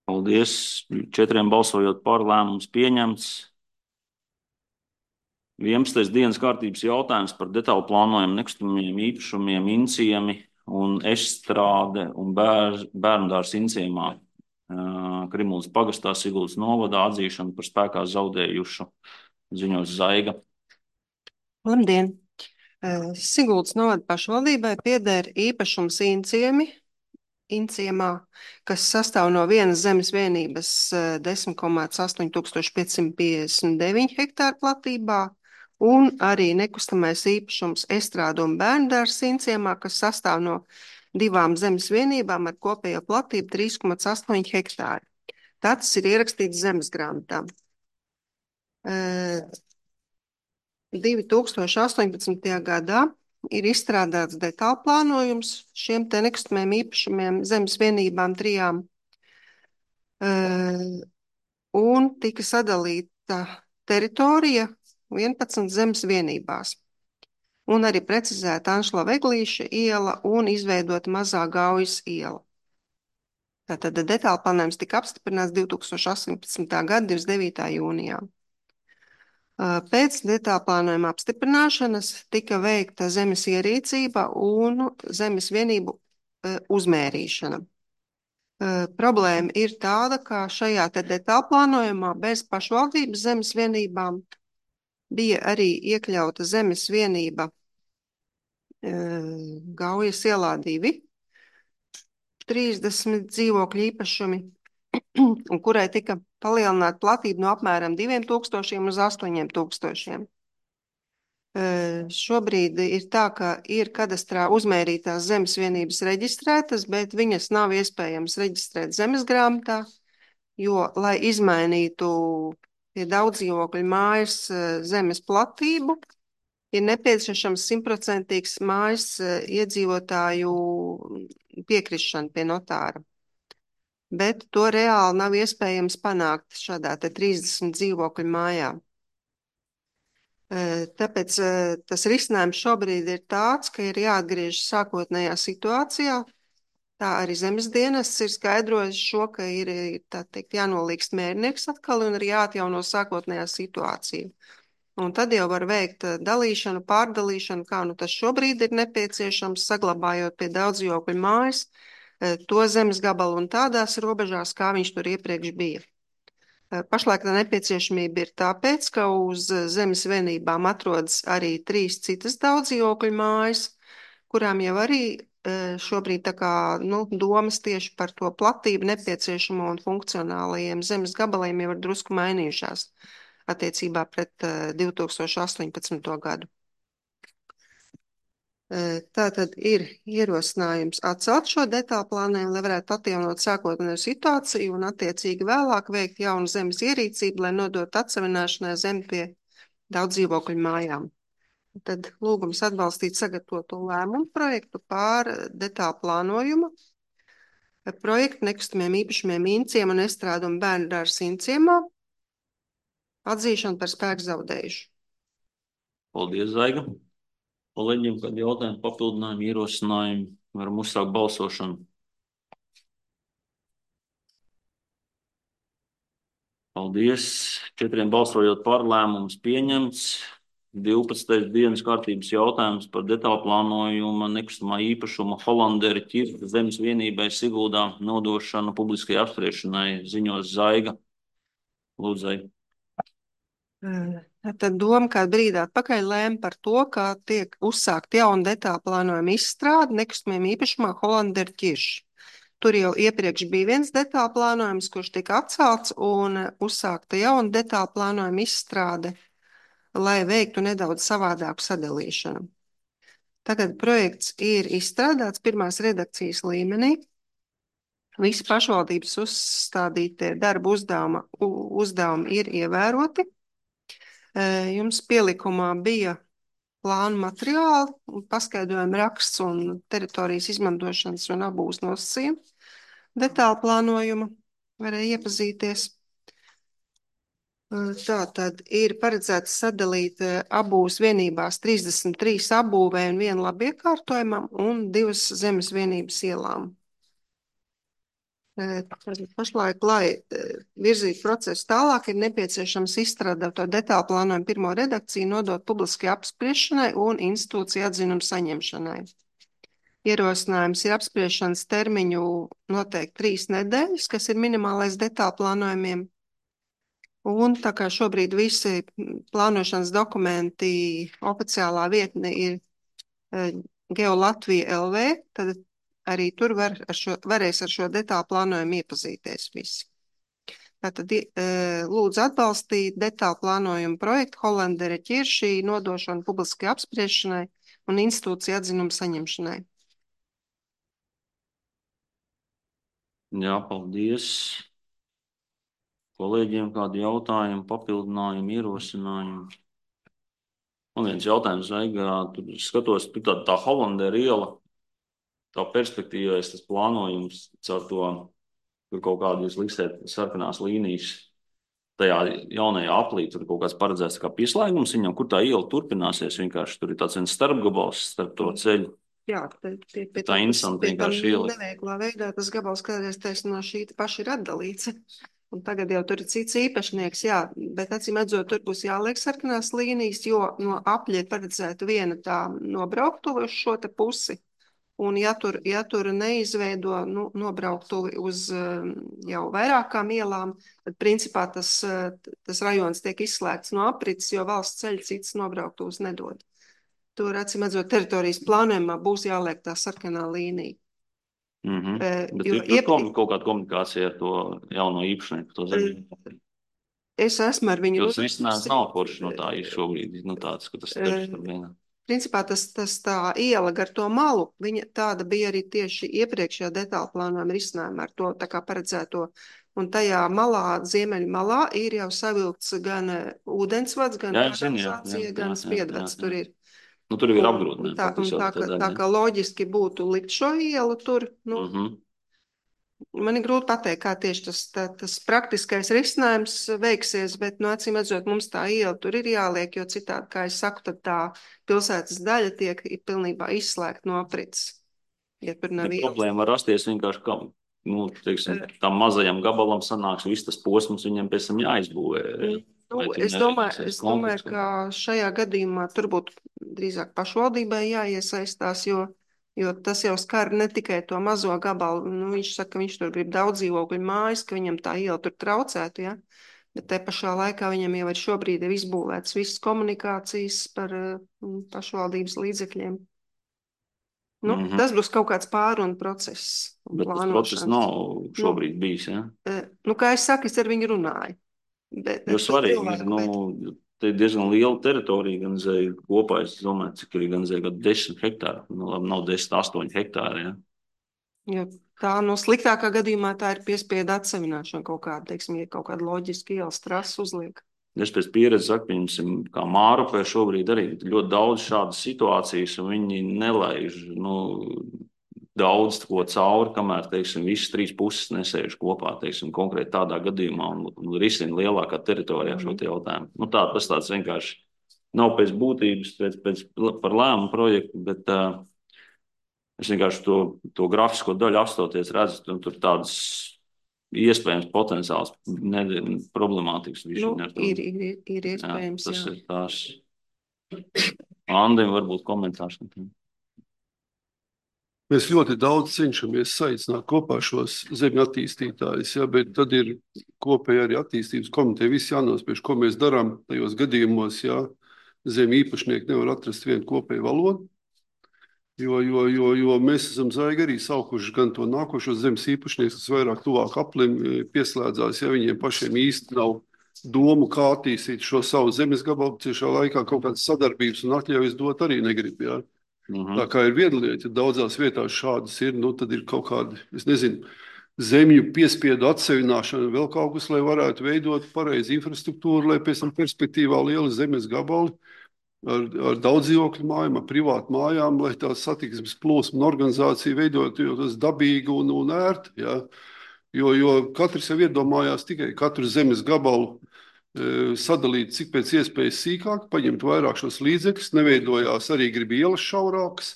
Paldies. Četriem balsojot par, lēmums pieņemts. vienpadsmitais dienas kārtības jautājums par detālu plānojumu nekustamiem īpašumiem Inciemi un Estrāde un bēr, bērndārs Inciemā. Krimulas pagastā Siguldas novadā atzīšanu par spēkā zaudējušu, ziņos Zaiga. Labdien! Siguldas novada pašvaldībai pieder īpašums Inciemi, Inciemā, kas sastāv no vienas zemes vienības desmit komats astoņi tūkstoši piecsimt piecdesmit deviņi hektāru platībā, un arī nekustamais īpašums Estrāde un bērndārs Inciemā, kas sastāv no divām zemes vienībām ar kopējo platību trīs komats astoņi hektāri. Tas ir ierakstīts zemes grāmatā. divi tūkstoši astoņpadsmitajā gadā ir izstrādāts detālu plānojums šiem te nekustamiem īpašumiem zemes vienībām trijām, un tika sadalīta teritorija vienpadsmit zemes vienībās, un arī precizēta Anšlava Eglīša iela un izveidota Mazā Gaujas iela. Tātad detālu plānojums tika apstiprināts divi tūkstoši astoņpadsmitā gada divdesmit devītā jūnijā. Pēc detālu plānojuma apstiprināšanas tika veikta zemes ierīcība un zemes vienību uzmērīšana. Problēma ir tāda, ka šajā te detālu plānojumā bez pašvaldības zemes vienībām bija arī iekļauta zemes vienība Gaujas ielā divi, trīsdesmit dzīvokļu īpašumi, un kurai tika palielināta platība no apmēram diviem tūkstošiem uz astoņiem tūkstošiem. Šobrīd ir tā, ka ir kadastrā uzmērītās zemes vienības reģistrētas, bet viņas nav iespējams reģistrēt zemes grāmatā, jo, lai izmainītu pie daudzdzīvokļu mājas zemes platību, ir nepieciešams simtprocentīgs mājas iedzīvotāju piekrišana pie notāra. Bet to reāli nav iespējams panākt šādā te trīsdesmit dzīvokļu mājā. Tāpēc tas risinājums šobrīd ir tāds, ka ir jāatgriežas sākotnējā situācijā. Tā arī zemes dienests ir skaidrojis šo, ka ir, tā teikt, jānolīgst mērnieks atkal un ir jāatjauno sākotnējā situācija. Un tad jau var veikt dalīšanu, pārdalīšanu, kā nu tas šobrīd ir nepieciešams, saglabājot pie daudzdzīvokļu mājas to zemes gabalu un tādās robežās, kā viņš tur iepriekš bija. Pašlaik tā nepieciešamība ir tāpēc, ka uz zemes vienībām atrodas arī trīs citas daudzdzīvokļu mājas, kurām jau arī šobrīd tā kā, nu, domas tieši par to platību nepieciešamo un funkcionālajiem zemes gabaliem jau ir drusku mainījušās attiecībā pret divi tūkstoši astoņpadsmito gadu. Tātad ir ierosinājums atcelt šo detālu plānojumu, lai varētu atjaunot sākotnējo situāciju un attiecīgi vēlāk veikt jaunu zemes ierīcību, lai nodot atsavināšanai zemi pie daudz dzīvokļu mājām. Tad lūgums atbalstīt sagatavoto lēmumu projektu pār detālu plānojumu, projektu nekustamiem īpašumiem Inciem un Estrādumu bērnu dārza Inciemā, atzīšanu par spēku zaudējušu. Paldies, Zaiga. Kolēģiem, kādi jautājumi, papildinājumi, ierosinājumi, varam uzsākt balsošanu. Paldies. Četriem balsojot par, lēmums pieņemts. divpadsmitais dienas kārtības jautājums par detālu plānojuma nekustamā īpašuma Holandera ķirta zemes vienībai Siguldā nodošanu publiskai apspriešanai, ziņos Zaiga. Lūdzu, Zaiga. Tad doma kādu brīdi atpakaļ lēma par to, ka tiek uzsākt jaunu detālu plānojumu izstrādi nekustamiem īpašumā Holandera ķirši. Tur jau iepriekš bija viens detālu plānojums, kurš tika atcelts, un uzsākta jauna detālu plānojuma izstrāde, lai veiktu nedaudz savādāku sadalīšanu. Tagad projekts ir izstrādāts pirmās redakcijas līmenī. Visi pašvaldības uzstādītie darba uzdevuma, uzdevumi ir ievēroti. Jums pielikumā bija plānu materiāli, paskaidrojuma raksts un teritorijas izmantošanas un apbūves nosacījumi. Detālu plānojumu varēja iepazīties. Tātad ir paredzēts sadalīt apbūves vienībās trīsdesmit trīs apbūvē un vienu labiekārtojumam un divas zemes vienības ielām. Pašlaik, lai virzītu procesu tālāk, ir nepieciešams izstrādāt to detālu plānojumu pirmo redakciju, nodot publiskai apspriešanai un institūciju atzinumu saņemšanai. Ierosinājums ir apspriešanas termiņu noteikti trīs nedēļas, kas ir minimālais detālu plānojumiem. Un tā kā šobrīd visi plānošanas dokumenti oficiālā vietne ir GeoLatvija L V, tad arī tur var ar šo, varēs ar šo detālu plānojumu iepazīties visi. Tātad lūdzu atbalstīt detālu plānojumu projektu Holandera ķiršī nodošanu publiskai apspriešanai un institūciju atzinumu saņemšanai. Jā, paldies. Kolēģiem kādi jautājumi, papildinājumi, ierosinājumi? Un viens jautājums, Zaiga, tur skatos, tā, tā Holandera iela, tā perspektīvais tas plānojums caur to, tur kaut kādu jūs liksiet sarkanās līnijas, tajā jaunajā aplī, tur kaut kāds paredzēts kā pieslēgums viņam, kur tā iela turpināsies, vienkārši tur ir tāds viens starpgabals starp to ceļu. Jā, tie, tie, pie tā interesanti vienkārši iela. Neveiklā veidā tas gabals kādreiz taisn no šī paša ir atdalīts. Un tagad jau tur ir cits īpašnieks, jā, bet acīm redzot, tur būs jāliek sarkanās līnijas, jo no apļa ir paredzēta viena tā nobrauktuve uz šo te pusi. Un ja tur, ja tur neizveido nu, nobrauktuvi uz jau vairākām ielām, tad principā tas, tas rajons tiek izslēgts no aprits, jo valsts ceļa cits nobrauktuvus nedod. Tur, acīm redzot, teritorijas plānojumā būs jāliek tā sarkanā līnija. Mm-hmm. Uh, Bet ir iepri... kaut, kaut kāda komunikācija ar to jauno īpašnieku, to zemi? Uh, es esmu ar viņu... Jūs risinājums nav forši no tā ir šobrīd, nu tāds, ka tas ir uh, par vienā. Principā tas, tas tā iela gar to malu, viņa tāda bija arī tieši iepriekšējā detālu plānojuma risinājumā ar to tā kā paredzēto. Un tajā malā, ziemeļu malā, ir jau savilkts gan ūdensvads, gan kanalizācija, gan spiedvads tur ir. Nu, tur ir apgrūtinājumi. Tā, tā, tā, tā kā loģiski būtu likt šo ielu tur, nu, mm-hmm. man ir grūti pateikt, kā tieši tas, tā, tas praktiskais risinājums veiksies, bet, nu, acīm redzot, mums tā iela tur ir jāliek, jo citādi, kā es saku, tad tā pilsētas daļa tiek pilnībā izslēgta no aprits. Ja tur nav ja problēma var rasties vienkārši, kā, nu, teiksim, tam mazajam gabalam sanāks, viss tas posms viņam pēc tam jāizbūvē. Nu, es domāju, es domāju, ka šajā gadījumā tur būtu drīzāk pašvaldībai jāiesaistās, jo, jo tas jau skar ne tikai to mazo gabalu. Nu, viņš saka, ka viņš tur grib daudz dzīvokļu mājas, ka viņam tā iela tur traucētu, ja? Bet te pašā laikā viņam jau ir šobrīd ir izbūvēts visas komunikācijas par pašvaldības līdzekļiem. Nu, Mhm. tas būs kaut kāds pārunu process. un Bet tas process plānošanas. nav šobrīd bijis, ja? Nu, nu, kā es saku, es ar viņu runāju. Bet, Jo bet svarīgi, cilvēku, nu, te ir diezgan liela teritorija, gan zēja kopā, es domāju, cik ir gan zēja, kad desmit hektāri, nu, labi, nav desmit, astoņi hektāri, ja? Jo tā no sliktākā gadījumā tā ir piespiedu atsevināšana kaut kāda, teiksim, ja kaut kāda loģiska ielas trasa uzliek. Es pēc pieredzes saku, pieņemsim, kā Mārupē šobrīd arī ļoti daudz šādas situācijas, un viņi nelaiž, nu, daudz ko cauri, kamēr, teiksim, visas trīs puses nesēž kopā, teiksim, konkrēti tādā gadījumā un, un risina lielākā teritorijā šo te jautājumu. Nu, tā, tas tāds vienkārši nav pēc būtības, pēc, pēc par lēmumu projektu, bet uh, es vienkārši to, to grafisko daļu apstoties redzu, tur, tur tādas iespējams potenciāls ne, problemātikas. Nu, ir, ir, ir iespējams, jā. Tas jā. ir tās. Andim varbūt komentārs. Mēs ļoti daudz cenšamies saicināt kopā šos zemju attīstītājus, ja, bet tad ir kopēji arī attīstības komiteja. Viss jānospiež, ko mēs darām tajos gadījumos, ja zemju īpašnieki nevar atrast vienu kopēju valodu. Jo, jo, jo, jo mēs esam zaigi arī saukuši gan to nākošo zemes īpašnieks, kas vairāk tuvāk aplim pieslēdzās, ja viņiem pašiem īsti nav domu, kā attīstīt šo savu zemes gabalu, ciešā laikā kaut kādas sadarbības un atļaujas dot arī negrib, jā. Mhm. Tā kā ir viena lieta, ja daudzās vietās šādas ir, nu tad ir kaut kādi, es nezinu, zemju piespiedu atsevināšana, vēl kaut kas, lai varētu veidot pareizi infrastruktūru, lai pēc tam perspektīvā lieli zemes gabali ar, ar daudz dzīvokļu mājām, ar privātu mājām, lai tā satiksmes plūsma un organizācija veidotos dabīgi un, un ērti, ja? Jo, jo katrs jau iedomājās tikai katru zemes gabalu e, sadalīt cik pēc iespējas sīkāk, paņemt vairāk šos līdzekļus, neveidojās arī grib ielas šaurākas,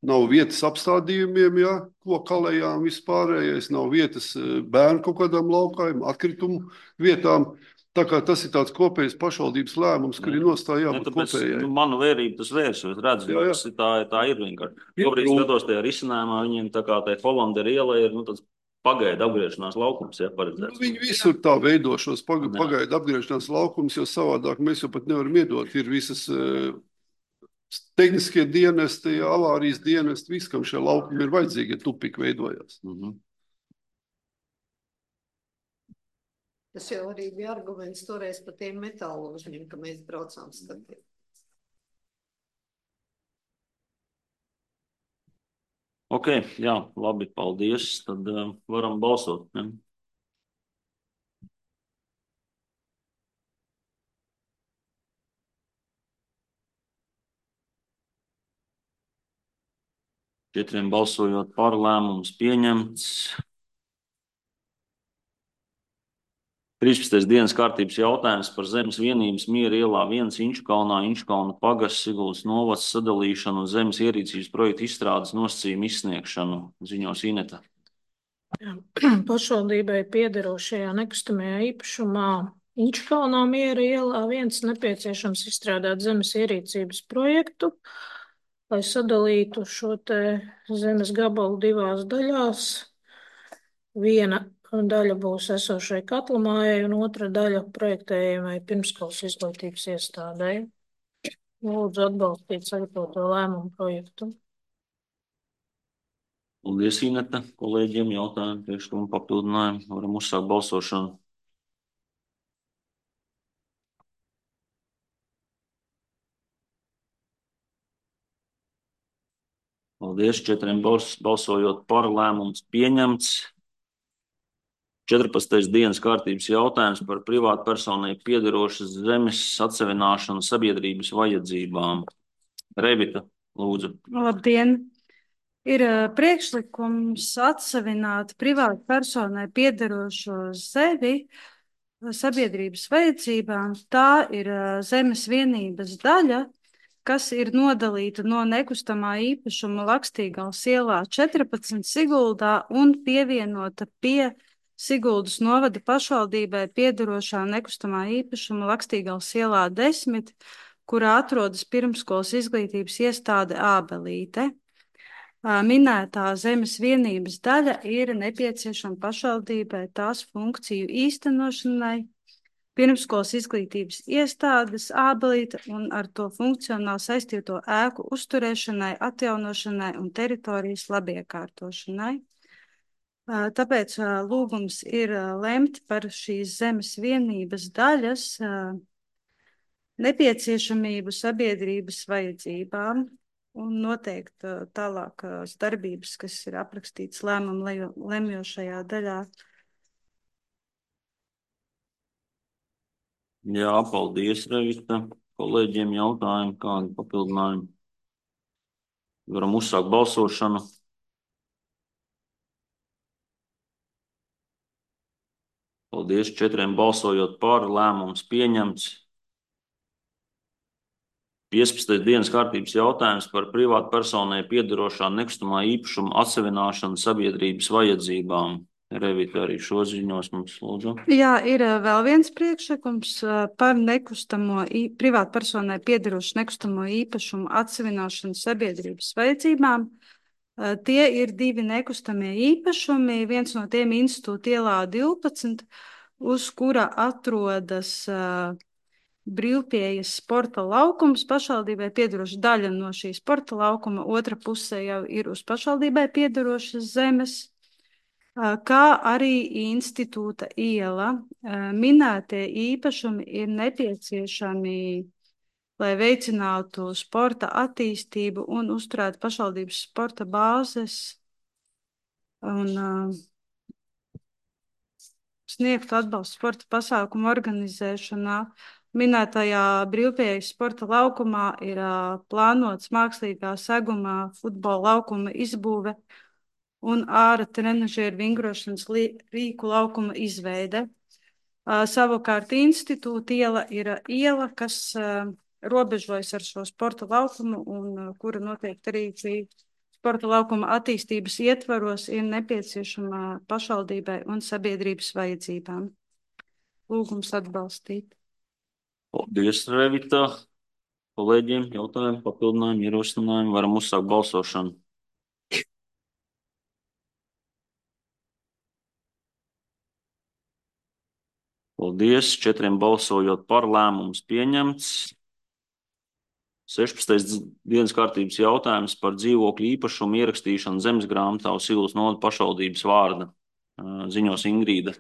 nav vietas apstādījumiem, ja, ko kalējām vispārējais, nav vietas bērnu kaut kādām laukājiem, atkritumu vietām. Tā kā tas ir tāds kopējs pašvaldības lēmums, kur ir nostāja jābūt kopējai. Nu, manu vērību tas vērs, es redzu, jā, jā. Tas ir tā, tā ir vienkārši. Šobrīd skatos tajā risinājumā, viņiem tā kā tai Holandera iela ir, nu, tāds pagaida apgriešanās laukums, ja, paredzēts. Nu, viņi visur tā veido šos pagaida apgriešanās laukums, jo savādāk mēs jau pat nevaram iedot. Ir visas uh, tehniskie dienesti, avārijas dienesti, viss, kam šie laukumi ir vajadzīgi, ja tupik veidojās. Mhm. Tas jau arī bija arguments toreiz par tiem metāložņiem, ka mēs braucām skatīt. Ok, jā, labi, paldies. Tad uh, varam balsot. Ne? Četriem balsojot par, lēmums pieņemts. trīspadsmitais dienas kārtības jautājums par zemes vienības Miera ielā viens Inčukalnā, Inčukalna pagasts, Siguldas novads sadalīšanu un zemes ierīcības projektu izstrādes nosacījumu izsniegšanu. Ziņos Ineta. Jā. Pašvaldībai piederošajā nekustamajā īpašumā Inčukalnā Miera ielā viens nepieciešams izstrādāt zemes ierīcības projektu, lai sadalītu šo te zemes gabalu divās daļās. Viena daļa būs esošai katlamājai un otra daļa projektējumai pirmskolas izglītības iestādei. Lūdzu atbalstīt sagatavoto lēmumu projektu. Paldies, Ineta. Kolēģiem jautājumu, priekšlikumu papildinājumu. Varam uzsākt balsošanu. Paldies. Četriem balsojot par, lēmums pieņemts. četrpadsmitais dienas kārtības jautājums par privātu personai piederošas zemes atsevināšanu sabiedrības vajadzībām. Revita, lūdzu. Labdien! Ir priekšlikums atsevināt privātu personai piederošo zemi sabiedrības vajadzībām. Tā ir zemes vienības daļa, kas ir nodalīta no nekustamā īpašuma Lakstīgals ielā četrpadsmit Siguldā un pievienota pie Siguldas novada pašvaldībai piederošā nekustamā īpašuma Lakstīgals ielā desmit, kurā atrodas pirmskolas izglītības iestāde Ābelīte. Minētā zemes vienības daļa ir nepieciešama pašvaldībai tās funkciju īstenošanai, pirmskolas izglītības iestādes Ābelīte un ar to funkcionāli saistīto ēku uzturēšanai, atjaunošanai un teritorijas labiekārtošanai. Tāpēc lūgums ir lemt par šīs zemes vienības daļas nepieciešamību sabiedrības vajadzībām un noteikt tālākās darbības, kas ir aprakstītas lēmumu lemjošajā daļā. Jā, paldies, Revita. Kolēģiem jautājumi, kādi papildinājumi. Varam uzsākt balsošanu. Paldies, četriem balsojot par, lēmums pieņemts. piecpadsmitais dienas kārtības jautājums par privātu personai piederošā nekustamā īpašuma atsevināšanu sabiedrības vajadzībām. Revita arī šo ziņos mums lūdzu. Jā, ir vēl viens priekšlikums par nekustamo, privātu personai piederošu nekustamo īpašumu atsevināšanu sabiedrības vajadzībām. Tie ir divi nekustamie īpašumi, viens no tiem Institūta ielā divpadsmit, uz kura atrodas uh, brīvpieejas sporta laukums, pašvaldībai piederoša daļa no šī sporta laukuma, otra pusē jau ir uz pašvaldībai piederošas zemes, kā arī Institūta iela. Minētie īpašumi ir nepieciešami, lai veicinātu sporta attīstību un uzturētu pašvaldības sporta bāzes un uh, sniegtu atbalstu sporta pasākumu organizēšanā. Minētajā brīvpieejas sporta laukumā ir uh, plānots mākslīgā segumā futbola laukuma izbūve un āra trenažieru vingrošanas rīku laukuma izveide. Uh, savukārt Institūta iela ir iela, kas uh, robežojas ar šo sporta laukumu un uh, kura noteikti arī šī sporta laukuma attīstības ietvaros ir nepieciešama pašvaldībai un sabiedrības vajadzībām. Lūgums atbalstīt. Paldies, Revita. Kolēģiem jautājumi, papildinājumi, ierosinājumi. Varam uzsākt balsošanu. Paldies. Četriem balsojot par, lēmums pieņemts. sešpadsmitais dienas kārtības jautājums par dzīvokļu īpašumu ierakstīšanu zemesgrāmatā uz Silvas novada pašvaldības vārda. Ziņos Ingrīda.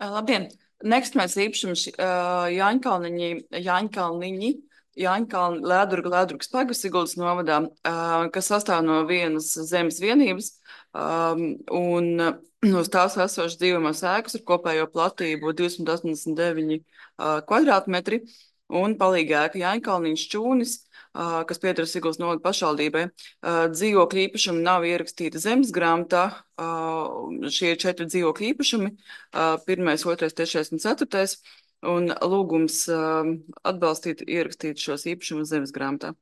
Labdien! Nekustamais īpašums Jāņkalniņi, Jāņkalniņi, Jāņkalni, Lēdurga, Lēdurgas pagastu Siguldas novadā, kas sastāv no vienas zemes vienības un uz tās esošas dzīvojamās ēkas ar kopējo platību divsimt astoņdesmit deviņi kvadrātmetri un palīga ēka Jāņkalniņš Čūnis, kas pieder Siguldas novada pašvaldībai. Dzīvokļu īpašumi nav ierakstīti zemesgrāmatā. Šie ir četri dzīvokļu īpašumi, pirmais, otrais, trešais un ceturtais, un lūgums atbalstīt ierakstīt šos īpašumus zemesgrāmatā.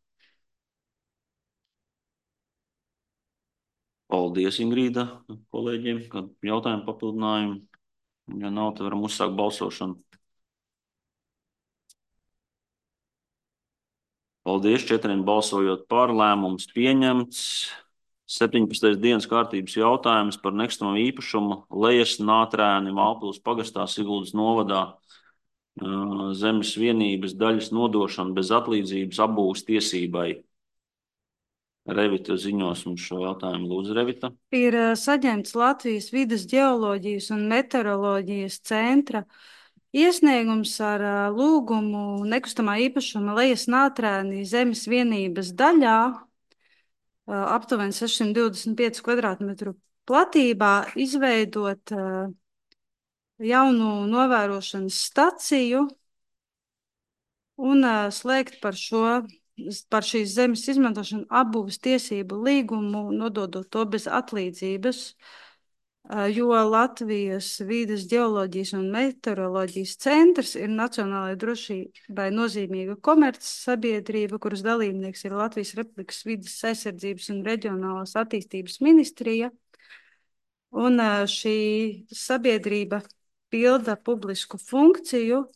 Paldies, Ingrīda, kolēģiem, kad jautājumu papildinājumu. Ja nav, tad varam uzsākt balsošanu. Paldies, četriem balsojot par, lēmums pieņemts. septiņpadsmitais dienas kārtības jautājums par nekustamo īpašumu Lejas Nātrēni Mālpils pagastā Siguldas novadā zemes vienības daļas nodošana bez atlīdzības apbūves tiesībai. Revita ziņos mums šo jautājumu. Lūdzu, Revita. Ir saņemts Latvijas vides ģeoloģijas un meteoroloģijas centra iesniegums ar lūgumu nekustamā īpašuma Lejas Nātrēni zemes vienības daļā aptuveni sešsimt divdesmit pieci kvadrātmetru platībā izveidot jaunu novērošanas staciju un slēgt par šo, par šīs zemes izmantošanu apbūves tiesību līgumu, nododot to bez atlīdzības, jo Latvijas vides ģeoloģijas un meteoroloģijas centrs ir nacionālajai drošībai nozīmīga komerces sabiedrība, kuras dalībnieks ir Latvijas Republikas vides aizsardzības un reģionālās attīstības ministrija. Un šī sabiedrība pilda publisku funkciju,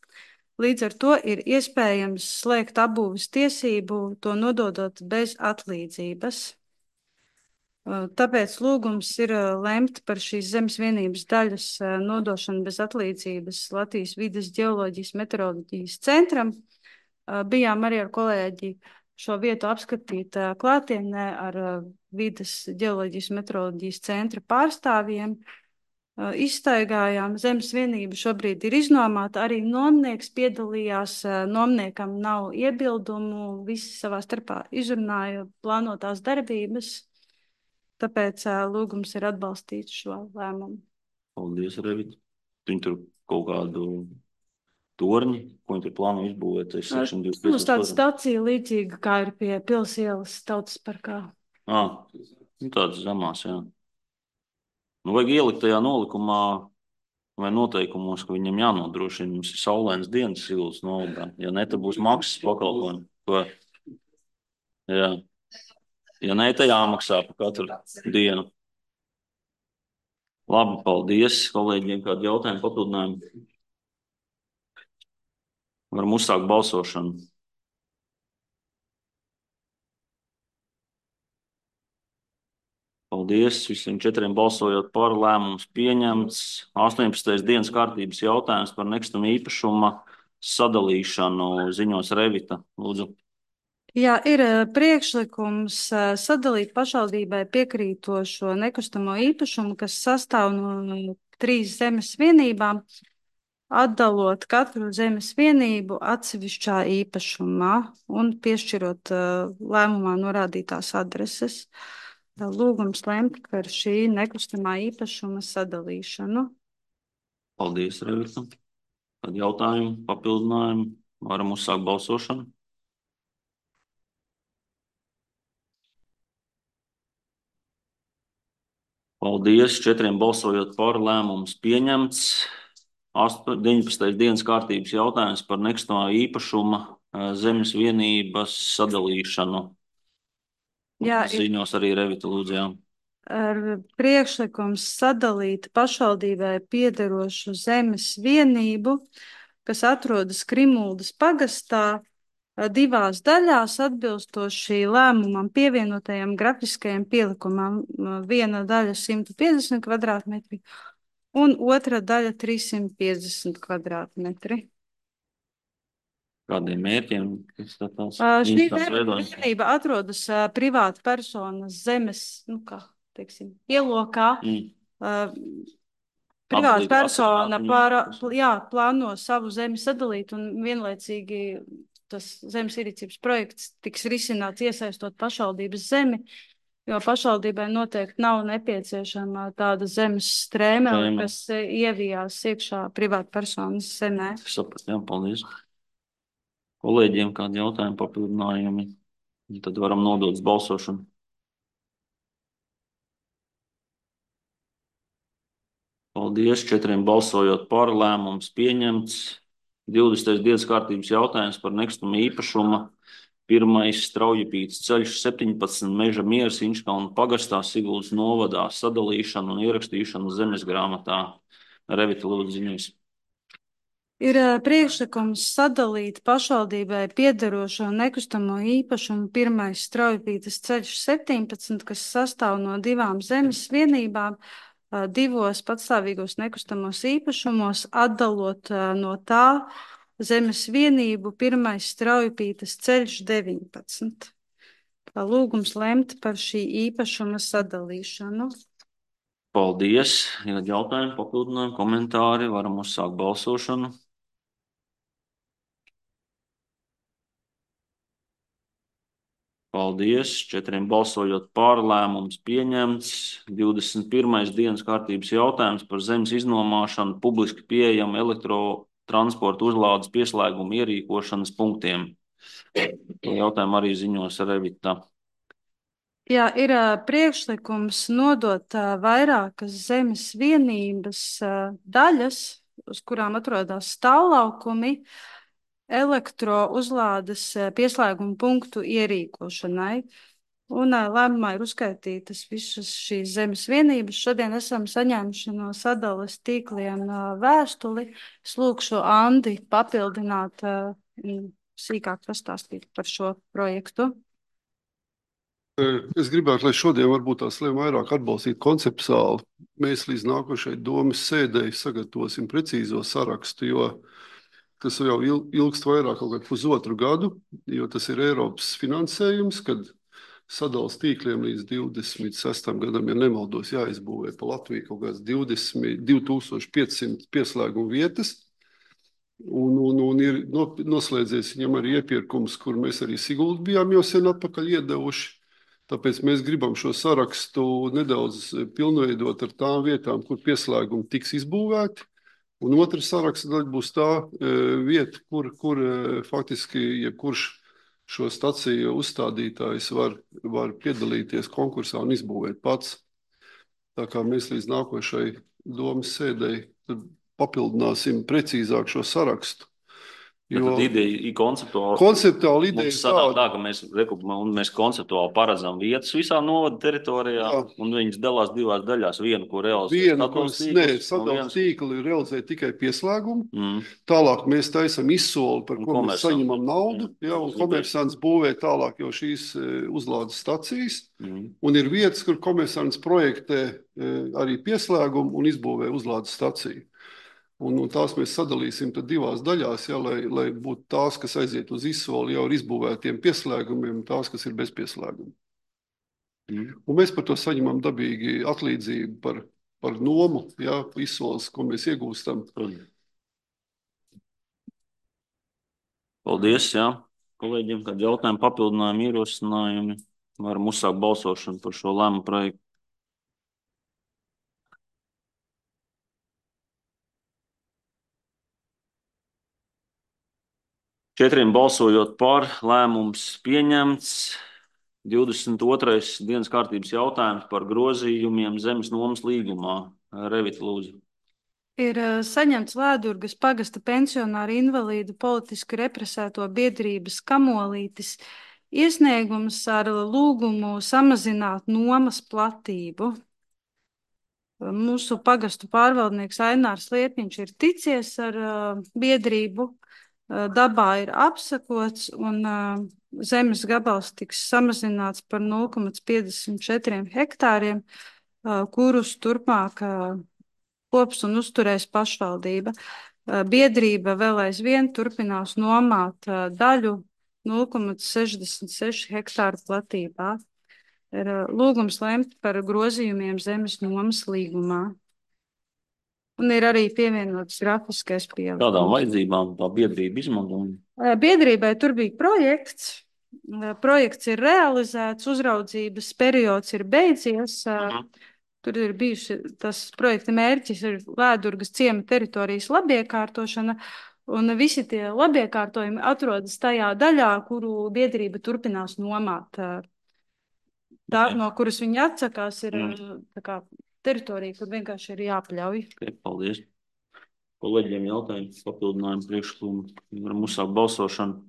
līdz ar to ir iespējams slēgt apbūves tiesību, to nododot bez atlīdzības. Tāpēc lūgums ir lemt par šīs zemes vienības daļas nodošanu bez atlīdzības Latvijas vides ģeoloģijas meteoroloģijas centram. Bijām arī ar kolēģi šo vietu apskatīt klātienē ar vides ģeoloģijas meteoroloģijas centra pārstāvjiem. Izstaigājām, zemes vienība šobrīd ir iznomāta, arī nomnieks piedalījās, nomniekam nav iebildumu, visi savā starpā izrunāja plānotās darbības, tāpēc lūgums ir atbalstīt šo lēmumu. Paldies, Revit. Viņi tur kaut kādu torņi, ko viņi tur plāno izbūvēt? Mums tāda stacija līdzīga, kā ir pie Pils ielas Tautas parkā. Ā, nu tāds zemās, jā. Nu, vajag ielikt tajā nolikumā vai noteikumos, ka viņam jānodrošina, mums ir saulēns dienas Siguldas novadā. Ja ne, tad būs maksas pakalpojumi. Ko? Jā. Ja ne, tad jāmaksā par katru dienu. Labi, paldies kolēģiem, kādu jautājumu papildinājumu. Varam uzsākt balsošanu. Paldies visiem četriem balsojot par, lēmums pieņemts. astoņpadsmitais dienas kārtības jautājums par nekustamo īpašuma sadalīšanu ziņos Revita. Lūdzu. Jā, ir priekšlikums sadalīt pašvaldībai piekrītošo nekustamo īpašumu, kas sastāv no trīs zemes vienībām, atdalot katru zemes vienību atsevišķā īpašumā un piešķirot lēmumā norādītās adreses. Lūgums lemt par šī nekustamā īpašuma sadalīšanu. Paldies, Revita. Tad jautājumu, papildinājumu. Varam uzsākt balsošanu. Paldies, četriem balsojot par, lēmums pieņemts. deviņpadsmitais dienas kārtības jautājums par nekustamā īpašuma zemes vienības sadalīšanu. Jā, ziņos arī Revita lūdzu, jā. Ar priekšlikums sadalīt pašvaldībai piederošu zemes vienību, kas atrodas Krimuldas pagastā, divās daļās atbilstoši lēmumam pievienotajam grafiskajam pielikumam. Viena daļa simt piecdesmit kvadrātmetri un otra daļa trīssimt piecdesmit kvadrātmetri. Kādiem mērķiem? Šī vienība atrodas privāta personas zemes, nu kā, teiksim, ielokā. Mm. Privāta persona pār, jā, plāno savu zemi sadalīt un vienlaicīgi tas zemes ierīcības projekts tiks risināts iesaistot pašvaldības zemi, jo pašvaldībai noteikti nav nepieciešama tāda zemes strēme, kas ievijās iekšā privāta personas zemē. Saprat, jā, paldies. Kolēģiem kādi jautājumi, papildinājumi, tad varam nodot uz balsošanu. Paldies, četriem balsojot par, lēmums pieņemts. divdesmitais dienas kārtības jautājums par nekustamo īpašumu. Pirmais Straujupītes ceļš septiņpadsmit Meža Mieras Inčkalna pagastā Siguldas novadā sadalīšanu un ierakstīšanu zemes grāmatā. Revita lūdzu ziņos. Ir priekšlikums sadalīt pašvaldībai piederošo nekustamo īpašumu pirmais Straujupītes ceļš septiņpadsmit, kas sastāv no divām zemes vienībām, divos patstāvīgos nekustamos īpašumos, atdalot no tā zemes vienību pirmais Straujupītes ceļš deviņpadsmit. Lūgums lemt par šī īpašuma sadalīšanu. Paldies. Ja jautājumi, papildinājumi, komentāri, varam uzsākt balsošanu. Paldies. Četriem balsojot par, lēmums pieņemts. divdesmit pirmais dienas kārtības jautājums par zemes iznomāšanu publiski pieejamu elektrotransporta uzlādes pieslēgumu ierīkošanas punktiem. Jautājumu arī ziņos Revita. Jā, ir priekšlikums nodot vairākas zemes vienības daļas, uz kurām atrodas stāvlaukumi, elektrouzlādes pieslēguma punktu ierīkošanai. Un lēmumā ir uzskaitītas visas šīs zemes vienības. Šodien esam saņēmuši no sadales tīkliem vēstuli. Es lūkšu Andi papildināt, sīkāk pastāstīt par šo projektu. Es gribētu, lai šodien varbūt tās lēma vairāk atbalstīt konceptuāli. Mēs līdz nākošai domas sēdēji sagatavosim precīzo sarakstu, jo tas jau il- ilgst vairāk kaut kādu pusotru gadu, jo tas ir Eiropas finansējums, kad sadals tīkliem līdz divdesmit sestam gadam, ja nemaldos, jāizbūvē pa Latviju kaut kāds divdesmit, divi tūkstoši piecsimt pieslēgumu vietas. Un, un, un ir no- noslēdzies viņam arī iepirkums, kur mēs arī Siguldu bijām jau sen atpakaļ iedevuši. Tāpēc mēs gribam šo sarakstu nedaudz pilnveidot ar tām vietām, kur pieslēgumi tiks izbūvēti. Un otra saraksta daļa būs tā e, vieta, kur, kur e, faktiski jebkurš šo staciju uzstādītājs var, var piedalīties konkursā un izbūvēt pats. Tā kā mēs līdz nākošai domas sēdēji tad papildināsim precīzāk šo sarakstu. Bet Jo tad ideja ir konceptuāli. konceptuāli ideja Mums ir sanāk tāda, tā, ka mēs, reku- un mēs konceptuāli paredzam vietas visā novada teritorijā, Jā. un viņas dalās divās daļās. Vienu, ko realizē viena, sadals kuras ne, tīkls, un sadals viens- tīkli realizē tikai pieslēgumu. Mm. Tālāk mēs taisam izsoli, par Un ko mēs komersants. saņemam naudu, Jā. jā, un komersants būvē tālāk jau šīs e, uzlādes stacijas. Mm. Un ir vietas, kur komersants projektē e, arī pieslēgumu un izbūvē uzlādes staciju. Un, un tās mēs sadalīsim tad divās daļās, jā, lai, lai būtu tās, kas aiziet uz izsoli jau ar izbūvētiem pieslēgumiem, un tās, kas ir bez pieslēguma. Mm. Un mēs par to saņemam dabīgi atlīdzību par, par nomu, jā, izsoles, ko mēs iegūstam. Paldies, jā. Kolēģiem, kad jautājumi, papildinājumi, ierosinājumi, varam uzsākt balsošanu par šo lēmumu projektu. Četriem balsojot par, lēmums pieņemts. divdesmit otrais dienas kārtības jautājums par grozījumiem zemes nomas līgumā. Revita, lūdzu. Ir eh, saņemts Lēdurgas pagasta pensionāru invalīdu politiski represēto biedrības Kamolītis iesniegums ar lūgumu samazināt nomas platību. Mūsu pagastu pārvaldnieks Ainārs Lietniņš ir ticies ar uh, biedrību, uh, dabā ir apsakots un uh, zemes gabals tiks samazināts par nulle komats piecdesmit četri hektāriem, uh, kurus turpmāk uh, kops un uzturēs pašvaldība. Uh, biedrība vēl aizvien turpinās nomāt uh, daļu nulle komats sešdesmit seši hektāru platībā. Ir uh, lūgums lemt par grozījumiem zemes nomas līgumā. Un ir arī pievienots grafiskais pielikums. Kādām vajadzībām tā biedrība izmanto? Uh, Biedrībai tur bija projekts. Uh, Projekts ir realizēts, uzraudzības periods ir beidzies. Uh, Tur ir bijuši, tas projekta mērķis ir Lēdurgas ciema teritorijas labiekārtošana, un visi tie labiekārtojumi atrodas tajā daļā, kuru biedrība turpinās nomāt. Uh, Tā, no kuras viņi atsakās, ir Mm. tā kā teritorija, kur vienkārši ir jāpļauj. Okay, paldies. Kolēģiem jautājums, papildinājumu priekšlikumu. Varam uzsākt balsošanu.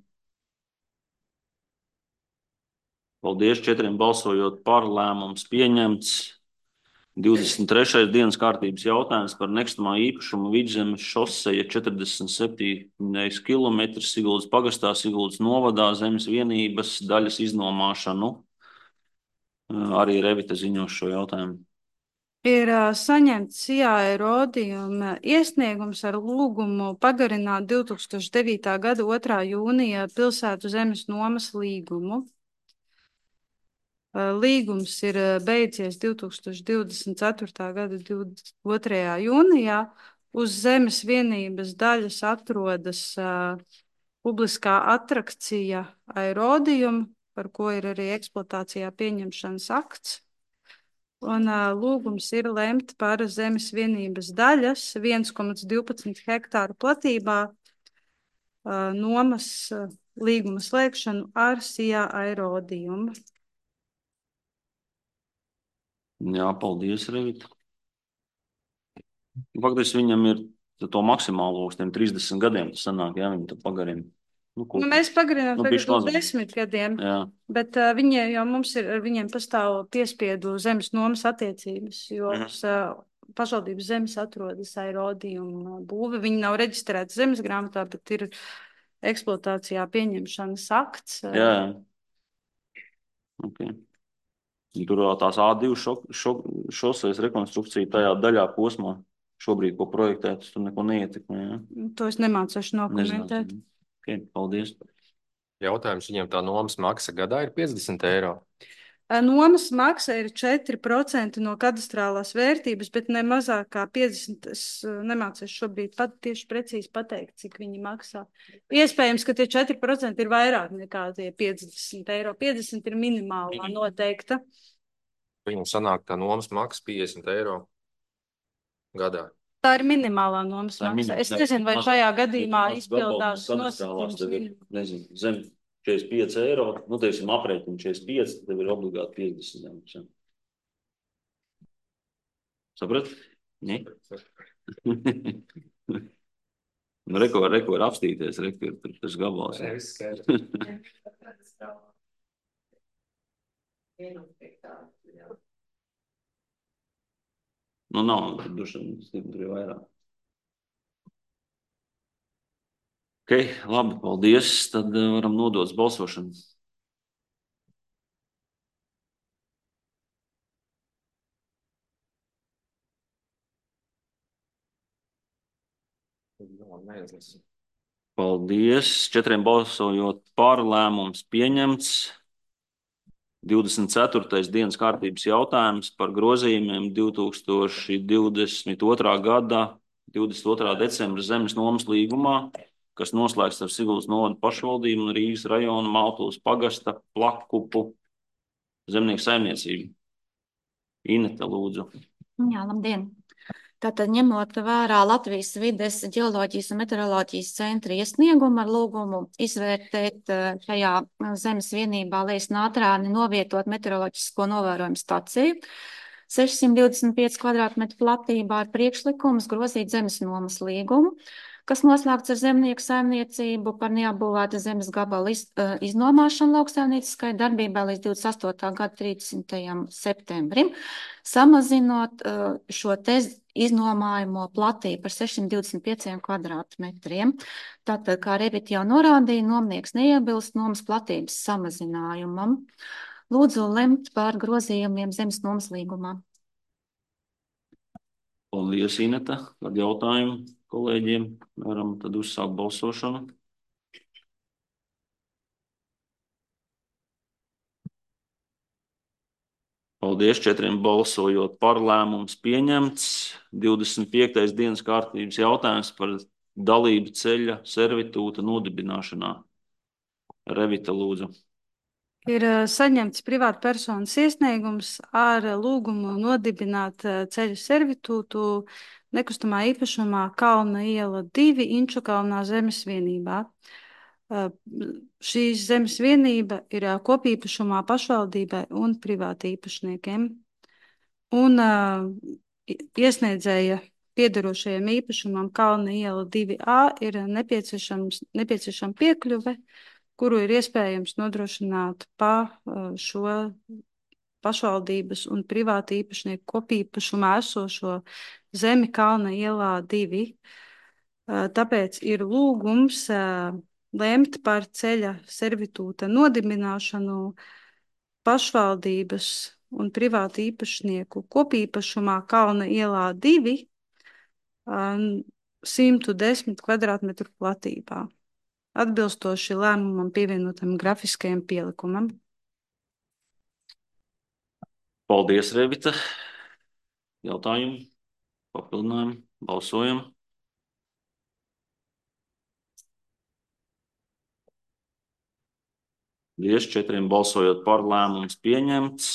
Paldies. Četriem balsojot par, lēmums pieņemts. divdesmit trešais dienas kārtības jautājums par nekustamā īpašuma Vidzemes šoseja četrdesmit septiņi kilometri Siguldas pagastā, Siguldas novadā, zemes vienības daļas iznomāšanu. Arī Revita ziņo šo jautājumu. Ir uh, saņemts C I A Rodījuma iesniegums ar lūgumu pagarināt divi tūkstoši devītā gada otrā jūnija pilsētu zemes nomas līgumu. Uh, Līgums ir uh, beidzies divi tūkstoši divdesmit ceturtā gada divdesmit otrajā jūnijā. Uz zemes vienības daļas atrodas uh, publiskā atrakcija Aerodījuma, par ko ir arī eksploatācijā pieņemšanas akts. Un uh, lūgums ir lemt par zemes vienības daļas viens komats divpadsmit hektāru platībā uh, nomas uh, līguma slēgšanu ar C I A Aerodījumu. Jā, paldies, Revita. Faktiski viņam ir to maksimālo uz tiem trīsdesmit gadiem, tas sanāk, jā, viņi to pagarina. Nu, Nu, mēs pagarinām Nu, tagad bišķi uz mazāk. desmit gadiem, Jā. bet uh, viņi, jo mums ir, ar viņiem pastāv piespiedu zemes nomas attiecības, jo Mhm. uh, pašvaldības zemes atrodas Aerodījuma būve. Viņi nav reģistrēti zemes grāmatā, bet ir eksploatācijā pieņemšanas akts. uh, Jā, jā. Okay. Tur vēl tās A divi šo, šo, šoseis rekonstrukcija tajā daļā posmā šobrīd, ko projektēt, tur neko neietekmē. Ja? To es nemācēšu nokomentēt. Nezināsim. Okay, paldies. Jautājums viņam tā nomas maksa gadā ir piecdesmit eiro. Nomas maksa ir četri procenti no kadastrālās vērtības, bet ne mazāk kā piecdesmit. Es nemācēšu šobrīd pat tieši precīzi pateikt, cik viņi maksā. Iespējams, ka tie četri procenti ir vairāk nekā tie piecdesmit eiro. piecdesmit ir minimālā noteikta. Viņam sanāk tā nomas maksa piecdesmit eiro gadā. Tā ir minimālā nomas maksa. Es nezinu, vai šajā gadījumā izpildās nosacījums. Nezinu, zem četrdesmit pieci eiro, nu, teiksim, aprēķini četrdesmit pieci, tev ir obligāti piecdesmit. Ja. Saprat? Nē? Nu, reko, reko var apstīties, reko ir tur tas gabals. Ja. Nu, nav, dušana, tur ir vairāk. Ok, labi, paldies. Tad varam nodot balsošanu. Paldies. Četriem balsojot par, lēmums pieņemts. divdesmit ceturtais dienas kārtības jautājums par grozījumiem divi tūkstoši divdesmit otrā gada divdesmit otrā decembra zemes nomas līgumā, kas noslēgts ar Siguldas novada pašvaldību un Rīgas rajona Maltuves pagasta Plakupu zemnieku saimniecību. Ineta, lūdzu. Jā, labdien! Tātad ņemot vērā Latvijas vides ģeoloģijas un meteoroloģijas centra iesniegumu ar lūgumu izvērtēt šajā zemes vienībā Lejas Nātrāni novietot meteoroloģisko novērojumu staciju sešsimt divdesmit pieci kvadrātmetru platībā ar priekšlikumus grozīt zemes nomas līgumu, kas noslēgts ar zemnieku saimniecību par neapbūvēta zemes gabala iz, iznomāšanu lauksaimnieciskai darbībai līdz divdesmit astotā gada trīsdesmitajam septembrim, samazinot šo te iznomājumu platību par sešsimt divdesmit pieciem kvadrātmetriem. Tātad, kā Revita jau norādīja, nomnieks neiebilst nomas platības samazinājumam. Lūdzu lemt par grozījumiem zemes nomas līgumā. Paldies, Ineta. Tad jautājumu kolēģiem. Varam tad uzsākt balsošanu. Paldies, četriem balsojot par, lēmums pieņemts. divdesmit piektais dienas kārtības jautājums par dalību ceļa servitūta nodibināšanā. Revita, lūdzu. Ir saņemts privātpersonas iesniegums ar lūgumu nodibināt ceļu servitūtu nekustamā īpašumā Kalna iela divi Inčukalnā zemes vienībā. Šīs zemes vienība ir kopīpašumā pašvaldībai un privāti īpašniekiem. Un uh, iesniedzēja piederošajam īpašumam Kalna iela divi A ir nepieciešams, nepieciešama piekļuve, kuru ir iespējams nodrošināt pa uh, šo pašvaldības un privāti īpašnieku kopīpašumā esošo zemi Kalna ielā divi. Uh, tāpēc ir lūgums uh, lemt par ceļa servitūta nodibināšanu pašvaldības un privātu īpašnieku kopīpašumā Kalna ielā divi simt desmit kvadrātmetru platībā, atbilstoši lēmumam pievienotam grafiskajam pielikumam. Paldies, Revita. Jautājumu, papildinājumu, balsojam. Paldies, četriem balsojot par, lēmums pieņemts.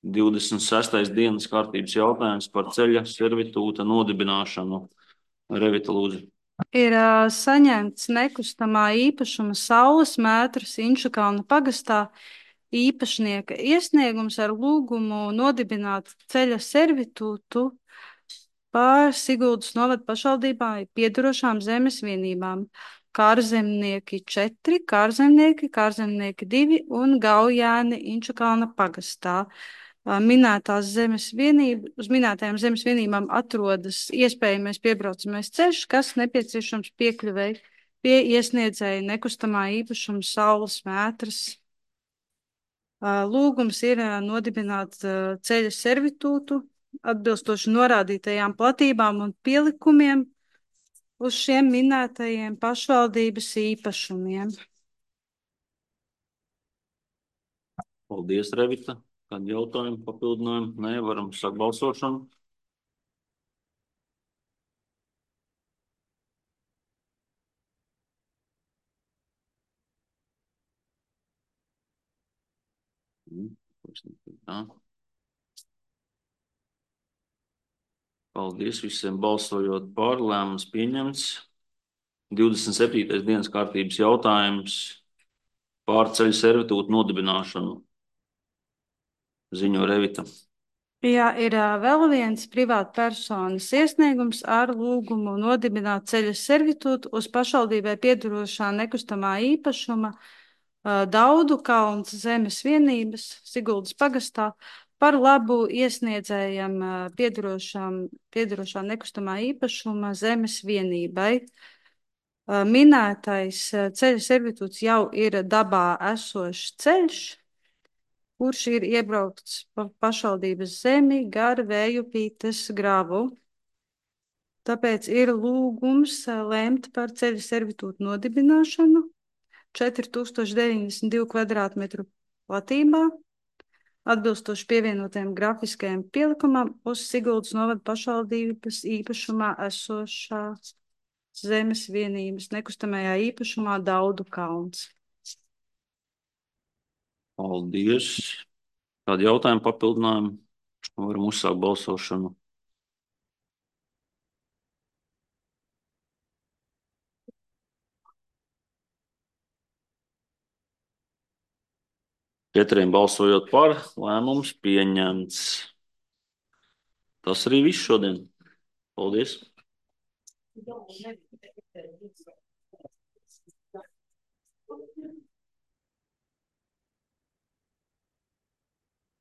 divdesmit sestais dienas kārtības jautājums par ceļa servitūta nodibināšanu. Revita, lūdzu. Ir uh, saņemts nekustamā īpašuma saules mētras Inčukalna pagastā īpašnieka iesniegums ar lūgumu nodibināt ceļa servitūtu pār Siguldas novada pašvaldībā piedarošām zemes vienībām. Kārzemnieki četri, kārzemnieki, kārzemnieki divi un Gaujēni Inčukalna pagastā. Minētās zemes vienība, uz minētajām zemes vienībām atrodas iespējamais piebraucamais ceļš, kas nepieciešams piekļuvēji pie iesniedzēja nekustamā īpašuma saules mētras. Lūgums ir nodibināt ceļa servitūtu atbilstoši norādītajām platībām un pielikumiem uz šiem minētajiem pašvaldības īpašumiem. Paldies, Revita. Kādi jautājumi, papildinājumi? Nē, varam sākt balsošanu. Tā. Paldies visiem balsojot par, lēmums pieņemts. divdesmit septītais dienas kārtības jautājums par ceļu servitūtu nodibināšanu. Ziņo Revita. Jā, ir vēl viens privātpersonas iesniegums ar lūgumu nodibināt ceļa servitūtu uz pašvaldībai piedarošā nekustamā īpašuma Daudu kalns zemes vienības Siguldas pagastā par labu iesniedzējam piedarošā nekustamā īpašuma zemes vienībai. Minētais ceļa servitūts jau ir dabā esošs ceļš, kurš ir iebraukts pa pašvaldības zemi gar Vējupītes gravu. Tāpēc ir lūgums lemt par ceļa servitūtu nodibināšanu četri tūkstoši deviņdesmit divu kvadrātmetru platībā, atbilstoši pievienotiem grafiskajiem pielikumam uz Siguldas novada pašvaldības īpašumā esošās zemes vienības nekustamajā īpašumā Daudu kalns. Paldies. Kādi jautājumi, papildinājumi? Varam uzsākt balsošanu. Četriem balsojot par, lēmums pieņemts. Tas arī viss šodien. Paldies. Thank you.